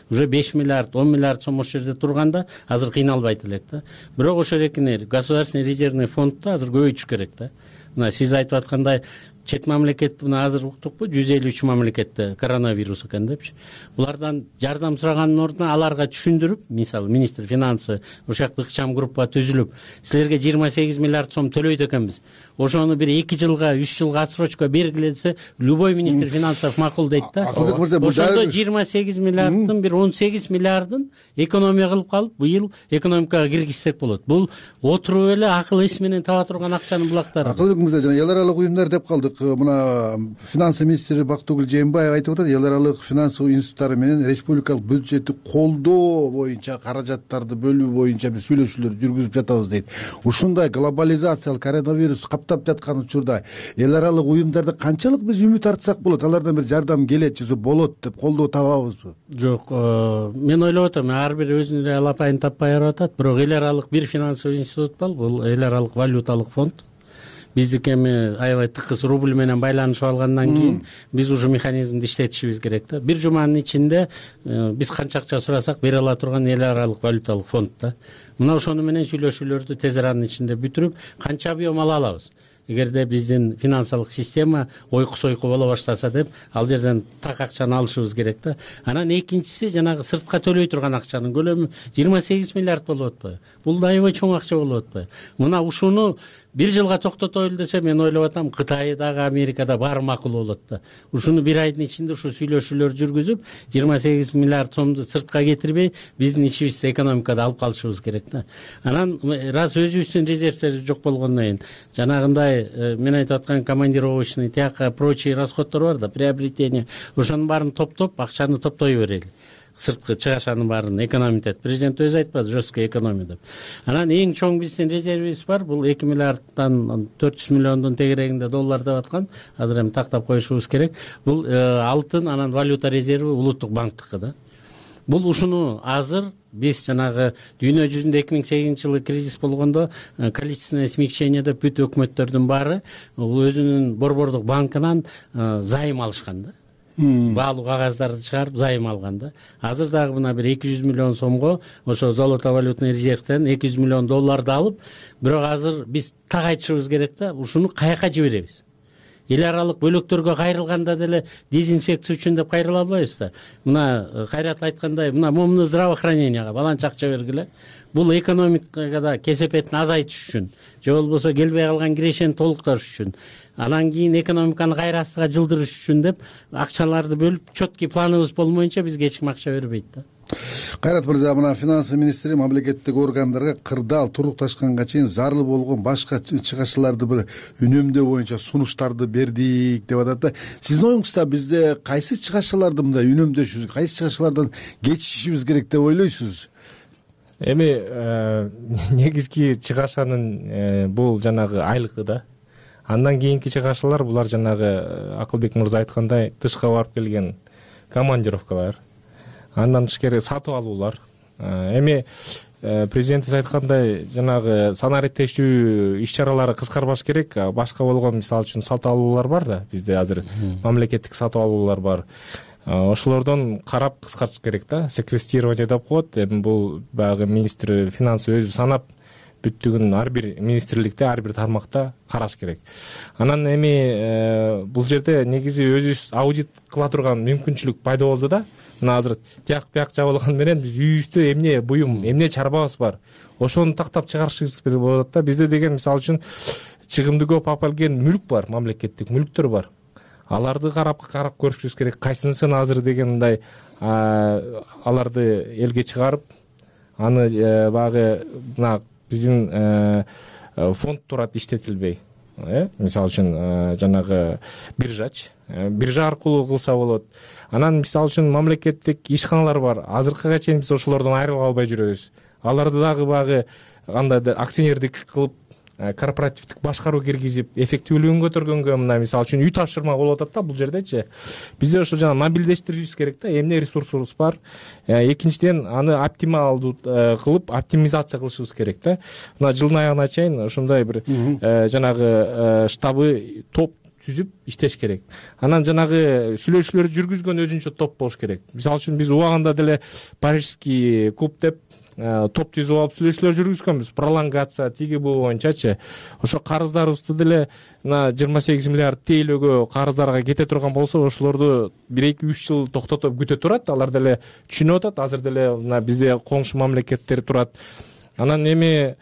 Уже 5 миллиард, 10 миллиард сом ошол жерде турганда азыр кыйналбайт элек да. Бирок ошол экини государственный резервный фондду азыр көбөйтүш керек да. Мына сиз айтып аткандай чет мамлекет, мына азыр уктукпу, 153 мамлекетте коронавирус экен депчи. Булардан жардам сураганын ордуна аларга түшүндүрүп, мисалы министр финансы ушакты ыкчам группа түзүлүп, силерге 28 миллиард сом төлөйт экенбиз. Ошону бир 2 жылга, 3 жылга отсрочка бергилесе, любой министр финансов макулдейт да. Ошондо 28 миллиарддын бир 18 миллиардын экономия кылып калып, быйыл экономикага киргизсек болот. Бул отуруп эле акыл эс менен таба турган акчанын булактары. Акылбек мырза, жана эл аралык уюмдар деп калдык. Мына финансы министри Бактыгүл Жээнбаева айтып атат, эл аралык финансылык институттары менен республикалык бюджетти колдоо боюнча, каражаттарды бөлүү боюнча биз сүйлөшүүлөр жүргүзүп жатабыз дейт. Ушундай глобализациялык коронавирус каптап жаткан учурда эл аралык уюмдарда канчалык биз үмүт артсак болот? Алардан бир жардам келет же болот деп колдоо табабызбы? Жок, мен ойлоп атам, ар бир өзүнүн алапайын таппай барып атат, бирок эл аралык бир финансылык институт бар, бул эл аралык валюталык фонд. Биздики эми аябай тыкыз рубль менен байланышып алгандан кийин биз уже механизмди иштетишибиз керек да. Бир жуманын ичинде биз канча акча сурасак бере ала турган эл аралык валюталык фонд да. Мына ошону менен сүйлөшүүлөрдү тез аранын ичинде бүтүрүп, канча объем ала алабыз. Эгерде биздин финансылык система ойку-сойку боло баштаса деп, ал жерден так акчаны алышыбыз керек да. Анан экинчиси жанагы сыртка төлөй турган акчанын көлөмү 28 миллиард болуп атпайбы? Бул да аябай чоң акча болуп атпайбы? Мына ушуну бир жылга токтотойлу десе, мен ойлоп атам, Кытайдагы, Америкада баары макул болот да. Ушуну бир айдын ичинде ушу сүйлөшүүлөр жүргүзүп, 28 миллиард сомду сыртка кетирбей, биздин ичибизде экономикада алып калышыбыз керек да. Анан раз өзүбүздүн резервдер жок болгондон кийин, жанагындай мен айтып аткан командировочный, тияка прочий расходдор бар да, приобретение, ошонун баарын топтоп, акчаны топтой берели. Сырткы чыгашанын баарын экономитет. Президент өзү айтпады, жесткий экономия деп. Анан эң чоң биздин резервибиз бар, бул 2 миллиарддан 400 миллиондун тегерегинде доллар деп аткан. Азыр эми тактап коюшубуз керек. Бул алтын, анан валюта резерви улуттук банктыкы да. Бул ушуну азыр биз жанагы дүйнө жүзүндө 2008 жылы кризис болгондо количественное смягчение деп бүт өкмөттөрдүн баары өзүнүн борбордук банкынан займ алышкан да. Баалуу кагаздарды чыгарып займ алган да. Азыр дагы мына бир 200 миллион сомго ошо золото валютный резервден 200 миллион долларды алып, бирок азыр биз так айтышыбыз керек да, ушуну каяка жиберебиз? Эл аралык бөлөктөргө кайрылганда деле дезинфекция үчүн деп кайрыла албайбыз да. Мына Кайрат айткандай, мына здравоохранениега баланча акча бергиле. Бул экономикада кесепетин азайтыш үчүн, же болбосо келбей калган кирешени толуктош үчүн, анан кийин экономиканы кайра астыга жылдырыш үчүн деп акчаларды бөлүп, четкий планыбыз болмоюнча бизге эч ким акча бербейт да. Кайрат мырза, мына финансы министри мамлекеттик органдарга кырдаал турукташканга чейин зарыл болгон башка чыгашыларды бир үнөмдөө боюнча сунуштарды бердик деп атат да. Сиздин оюңузда бизде кайсы чыгашаларды мындай үнөмдөшүбүз, кайсы чыгашалардан кечишибиз керек деп ойлойсуз? Эми негизги чыгашанын бул жанагы айлыгы да. Андан кийинки чыгашалар булар жанагы Акылбек мырза айткандай тышка барып келген командировкалар. Андан тышкары сатып алуулар. Эми президентибиз айткандай жанагы санариптештүү иш-чаралары кыскарбаш керек. Башка болгон мисалы үчүн сатып алуулар бар да. Бизде азыр мамлекеттик сатып алуулар бар. Ошолордон карап кыскартыш керек да. Секвестирование деп коет. Эми бул баягы министр финансы өзү санап бүттүгүн ар бир министрликте, ар бир тармакта караш керек. Анан эми бул жерде негизи өзүбүз аудит кыла турган мүмкүнчүлүк пайда болду да. Мына азыр тияк бияк жабылган менен биз үйүбүздө эмне буюм, эмне чарбабыз бар, ошону тактап чыгарышыбыз керек болот да. Бизде деген мисалы үчүн чыгымды көп алып келген мүлк бар, мамлекеттик мүлктөр бар. Аларды карап көрүшүбүз керек. Кайсынысын азыр деген мындай аларды элге чыгарып, аны багы мына биздин фонд турат иштетилбей. Мисалы үчүн жанагы биржа аркылуу кылса болот. Анан мисалы үчүн мамлекеттик ишканалар бар. Азыркыга чейин биз ошолордон айрыла албай жүрөбүз. Аларды дагы багы кандайдыр акционердик кылып, корпоративдик башкаруу киргизип, эффективдүүлүгүн көтөргөнгө мына мисалы үчүн үй тапшырма болуп атат да бул жердечи. Бизде ошо жана мобилдештиришибиз керек да, эмне ресурсубуз бар. Экинчиден аны оптималдуу кылып, оптимизация кылышыбыз керек да. Мына жылдын аягына чейин ушундай бир жанагы штабы топ түзүп иштеш керек. Анан жанагы сүйлөшүүлөрдү жүргүзгөн өзүнчө топ болуш керек. Мисалы үчүн биз убагында деле Парижский клуб деп топ түзүп алып сүйлөшүүлөр жүргүзгөнбүз. Пролонгация тиги бул боюнчачы. Ошо карыздарыбызды деле мына 28 миллиард тейлөөгө карыздарга кете турган болсо, ошолорду 1-2-3 жыл токтотуп күтө турат. Алар деле түшүнүп атат. Азыр деле мына бизде коңшу мамлекеттер турат. Анан эми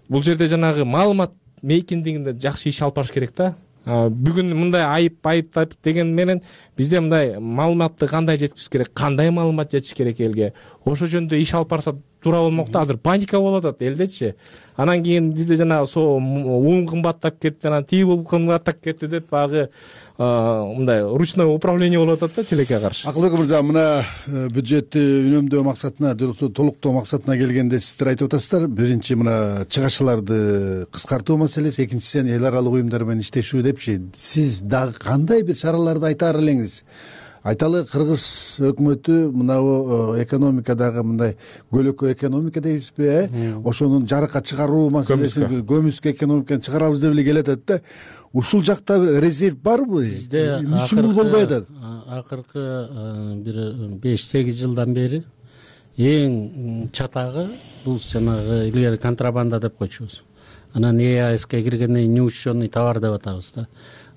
бул жерде жанагы маалымат мейкиндигинде жакшы иш алып барыш керек да. Бүгүн мындай айып деген менен бизде мындай маалыматты кандай жеткизиш керек, кандай маалымат жетиш керек элге. Ошо жөнүндө иш алып барса туура болмок да. Азыр паника болуп атат элдечи. Анан кийин бизде жана уун кымбаттап кетти, анан тиги кымбаттап кетти деп багы мындай ручной управление болуп атат да тилекке каршы. Акылбек мырза, мына бюджетти үнөмдөө максатына, толуктоо максатына келгенде сиздер айтып атасыздар. Биринчи мына чыгашаларды кыскартуу маселеси, экинчисен эл аралык уюмдар менен иштешүү депчи. Сиз дагы кандай бир чараларды айтаар элеңиз? Айталы, Кыргыз өкмөтү мынау экономикадагы мындай көлөкө экономика дейбизби, ошонун жарыкка чыгаруу маселесин, көмүскө экономиканы чыгарабыз деп эле келатат да. Ушул жакта резерв барбы? Бизде болбой атат. Акыркы бир 5-8 жылдан бери эң чатагы бул жанагы илгери контрабанда деп койчубуз. Анан ЕАСке киргенден кийин неучтенный товар деп атабыз да.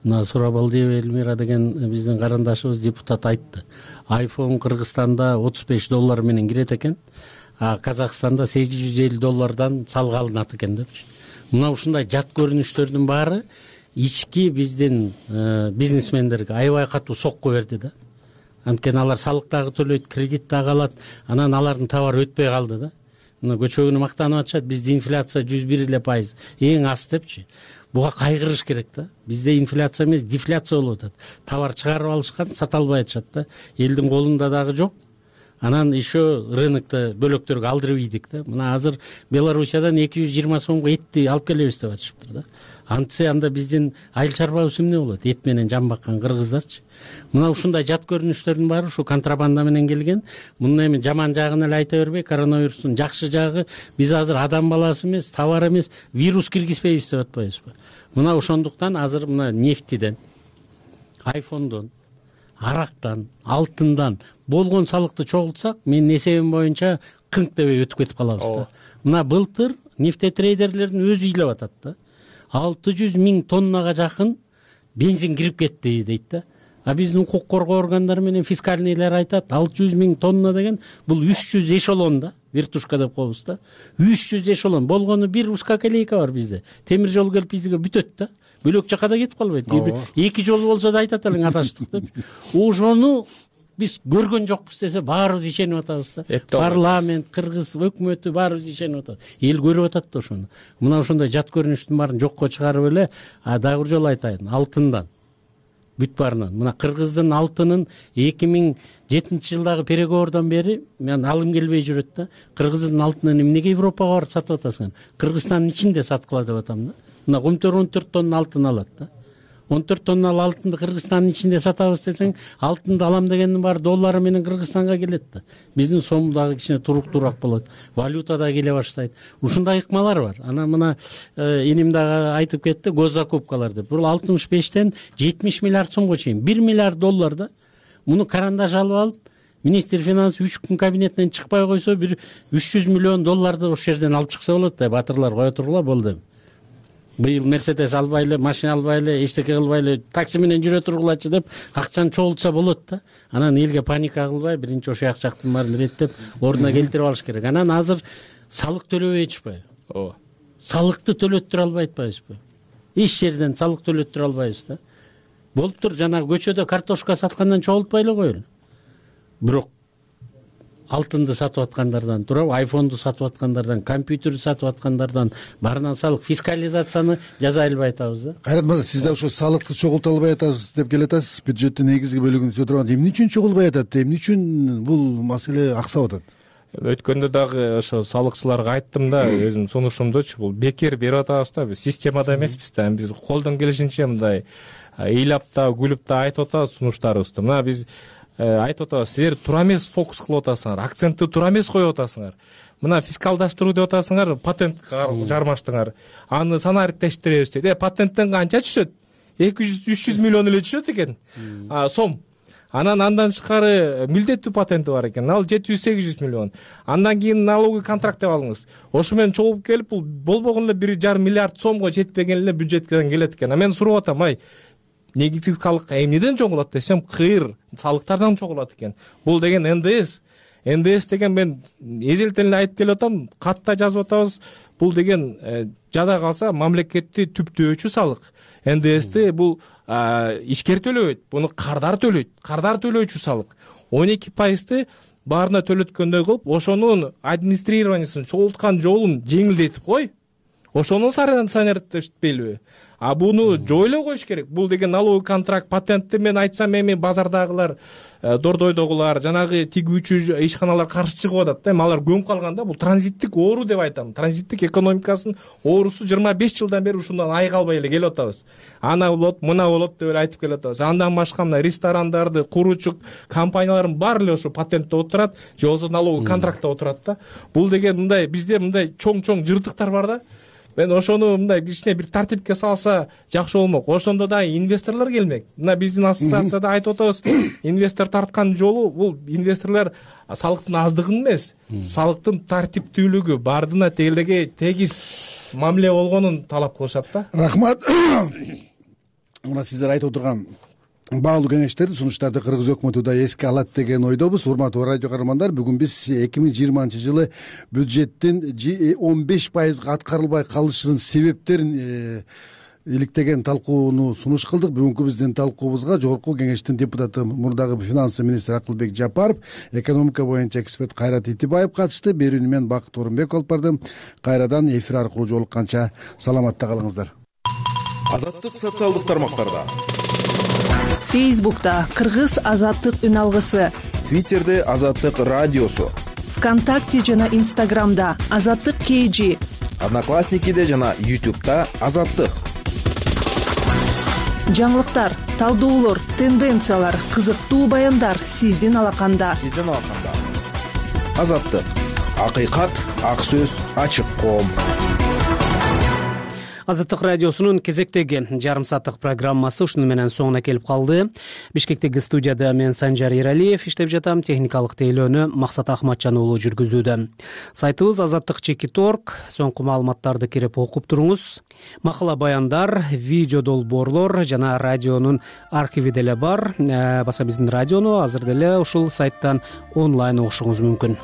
Мына Сурабалдиева Эльмира деген биздин карындашыбыз депутат айтты. iPhone Кыргызстанда $35 менен кирет экен, а Казакстанда $850 салык алынат экен депчи. Мына ушундай жат көрүнүштөрдүн баары ички биздин бизнесмендерге аябай катуу сокку берди да. Анткени алар салык дагы төлөйт, кредит дагы алат, анан алардын товары өтпөй калды да. Мына көчөгүнү мактанып атышат, бизде инфляция 101%, эң аз депчи. Буга кайгырыш керек да. Бизде инфляция эмес, дефляция болуп атат. Товар чыгарып алышкан, сата албай атышат да. Элдин колунда дагы жок. Анан еще рынокто бөлөктөргө алдырып ийдик да. Мына азыр Белоруссиядан 220 сомго этти алып келебиз деп атышыптыр да. антсе анда биздин айыл чарбабыз эмне болот? Эт менен жан баккан кыргыздарчы. Мына ушундай жат көрүнүштөрдүн баары ушу контрабанда менен келген. Муну эми жаман жагын эле айта бербей, коронавирустун жакшы жагы биз азыр адам баласы эмес, товар эмес, вирус киргизбейбиз деп атпайбызбы? Мына ошондуктан азыр мына нефтиден, айфондон, арактан, алтындан болгон салыкты чогултсак, менин эсебим боюнча кыңк дебей өтүп кетип калабыз да. Мына былтыр нефтетрейдерлердин өзү ыйлап атат да. 600 000 тоннага жакын бензин кирип кетти дейт да. А биздин укук коргоо органдары менен фискальныйлар айтат, 600 000 тонна деген бул 300 эшелон да, вертушка деп коебуз да. 300 эшелон болгону бир узкоколейка бар бизде. Темир жол келип бизге бүтөт да. Бөлөк жака да кетип калбайт. Эки жол болсо да айтат элең адаштык деп. Ошону биз көргөн жокпуз десе баарыбыз ишенип атабыз да. Парламент, кыргыз өкмөтү баарыбыз ишенип атабыз. Эл көрүп атат да ошону. Мына ошондой жат көрүнүштүн баарын жокко чыгарып эле, дагы бир жолу айтайын, алтындан бүт баарынан. Мына кыргыздын алтынын 2007-жылдагы переговордон бери мен алым келбей жүрөт да. Кыргыздын алтынын эмнеге Европага барып сатып атасың? Кыргызстандын ичинде саткыла деп атам да. Мына 14 тонна алтын алат да. 14 тонналы алтынды Кыргызстандын ичинде сатабыз десең, алтынды алам дегендин баары доллары менен Кыргызстанга келет да. Биздин сом дагы кичине туруктуураак болот. Валюта да келе баштайт. Ушундай ыкмалар бар. Анан мына эним дагы айтып кетти, госзакупкалар деп. Бул 65тен 70 миллиард сомго чейин, 1 миллиард доллар да. Муну карандаш алып алып, министр финансы 3 күн кабинетинен чыкпай койсо, бир 300 миллион долларды ошол жерден алып чыкса болот да. Батырлар кое тургула болду. Быйыл Мерседес албай эле, машина албай эле, эчтеке кылбай эле, такси менен жүрө тургулачы деп акчаны чогултса болот да. Анан элге паника кылбай, биринчи ошо жактын баарын реттеп, ордуна келтирип алыш керек. Анан азыр салык төлөбөй атышпайбы? Ооба. Салыкты төлөттүрө албай атпайбызбы? Эч жерден салык төлөттүрө албайбыз да. Болуптур, жанагы көчөдө картошка саткандан чогултпай эле коелу. Бирок алтынды сатып аткандардан, туурабы, айфонду сатып аткандардан, компьютерди сатып аткандардан баарынан салык фискализацияны жаза албай атабыз да. Кайрат мырза, сиз да ошо салыкты чогулта албай атабыз деп келатасыз. Бюджеттин негизги бөлүгүн түзө турганда эмне үчүн чогулбай атат? Эмне үчүн бул маселе аксап атат? Өткөндө дагы ошо салыкчыларга айттым да, өзүмдүн сунушумдучу, бул бекер берип атабыз да, биз системада эмеспиз да. Биз колдон келишинче мындай ыйлап да, күлүп да айтып атабыз сунуштарыбызды. Мына биз айтып атабыз, силер туура эмес фокус кылып атасыңар, акцентти туура эмес коюп атасыңар. Мына фискалдаштыруу деп атасыңар, патент жармаштыңар. Аны санариптештиребиз дейт. Патенттен канча түшөт? 200-300 миллион эле түшөт экен. Сом. Андан тышкары милдеттүү патенти бар экен. Ал 700-800 миллион. Андан кийин налоговый контракт деп алыңыз. Ошо менен чогулуп келип, бул болбогон эле 1,5 миллиард сомго жетпеген эле бюджеттен келет экен. Мен сурап атам, негизсиз салык эмнеден чогулат десем, кыр салыктардан чогулат экен. Бул деген НДС. НДС деген мен эзелтен эле айтып келип атам, катта жазып атабыз. Бул деген жада калса мамлекетти түптөөчү салык. НДСти бул ишкер төлөбөйт, буну кардар төлөйт. Кардар төлөөчү салык. 12%ты баарына төлөткөндөй кылып, ошонун администрированиясын чогулткан жолун жеңилдетип кой. Ошону санариптештпейлиби? Буну жойлой коюш керек. Бул деген налоговый контракт, патентти мен айтсам эми базардагылар, дордойдогулар, жанагы тигүүчү ишканалар каршы чыгып атат да. Алар көмүп калганда бул транзиттик оору деп айтам. Транзиттик экономикасынын оорусу 25 жылдан бери ушундан айыга албай эле келип атабыз. Ана болот, мына болот деп эле айтып келип атабыз. Андан башка мына ресторандарды куруучу компаниялардын баары эле ошо патентте отурат, же болбосо налоговый контрактта отурат да. Бул деген мындай бизде мындай чоң-чоң жыртыктар бар да. Мен ошону мындай кичине бир тартипке салса жакшы болмок. Ошондо да инвесторлор келмек. Мына биздин ассоциацияда айтып атабыз, инвестор тарткан жолу бул инвесторлор салыктын аздыгын эмес, салыктын тартиптүүлүгү, бардына тегиз мамиле болгонун талап кылышат да. Рахмат. Мына сиздер айтып отурган баалуу кеңештерди, сунуштарды кыргыз өкмөтү да эске алат деген ойдобуз. Урматтуу радио каармандар, бүгүн биз 2020-жылы бюджеттин 15% аткарылбай калышынын себептерин иликтеген талкууну сунуш кылдык. Бүгүнкү биздин талкуубузга Жогорку Кеңештин депутаты, мурдагы финансы министри Акылбек Жапаров, экономика боюнча эксперт Кайрат Итибаев катышты. Берүүнү мен Бакыт Орунбек алып бардым. Кайрадан эфир аркылуу жолукканча саламатта калыңыздар. Азаттык социалдык тармактарда, Фейсбукта Кыргыз азаттык үн алгысы, Твиттерде Азаттык радиосу, ВКонтакте жана Инстаграмда Азаттык KG, Одноклассникиде жана YouTube'да Азаттык. жаңылыктар, талдоолор, тенденциялар, кызыктуу баяндар сиздин алаканда. Азаттык, акыйкат, ак сөз, ачык коом. Азаттык радиосунун кезектеги жарым сааттык программасы ушуну менен соңуна келип калды. Бишкектеги студияда мен Санжар Эралиев иштеп жатам, техникалык тейлөөнү Максат Ахматжан уулу жүргүзүүдө. Сайтыбыз azattik.org, соңку маалыматтарды кирип окуп туруңуз. Макала баяндар, видео долбоорлор жана радионун архиви деле бар. Баса биздин радиону азыр деле ушул сайттан онлайн угушуңуз мүмкүн.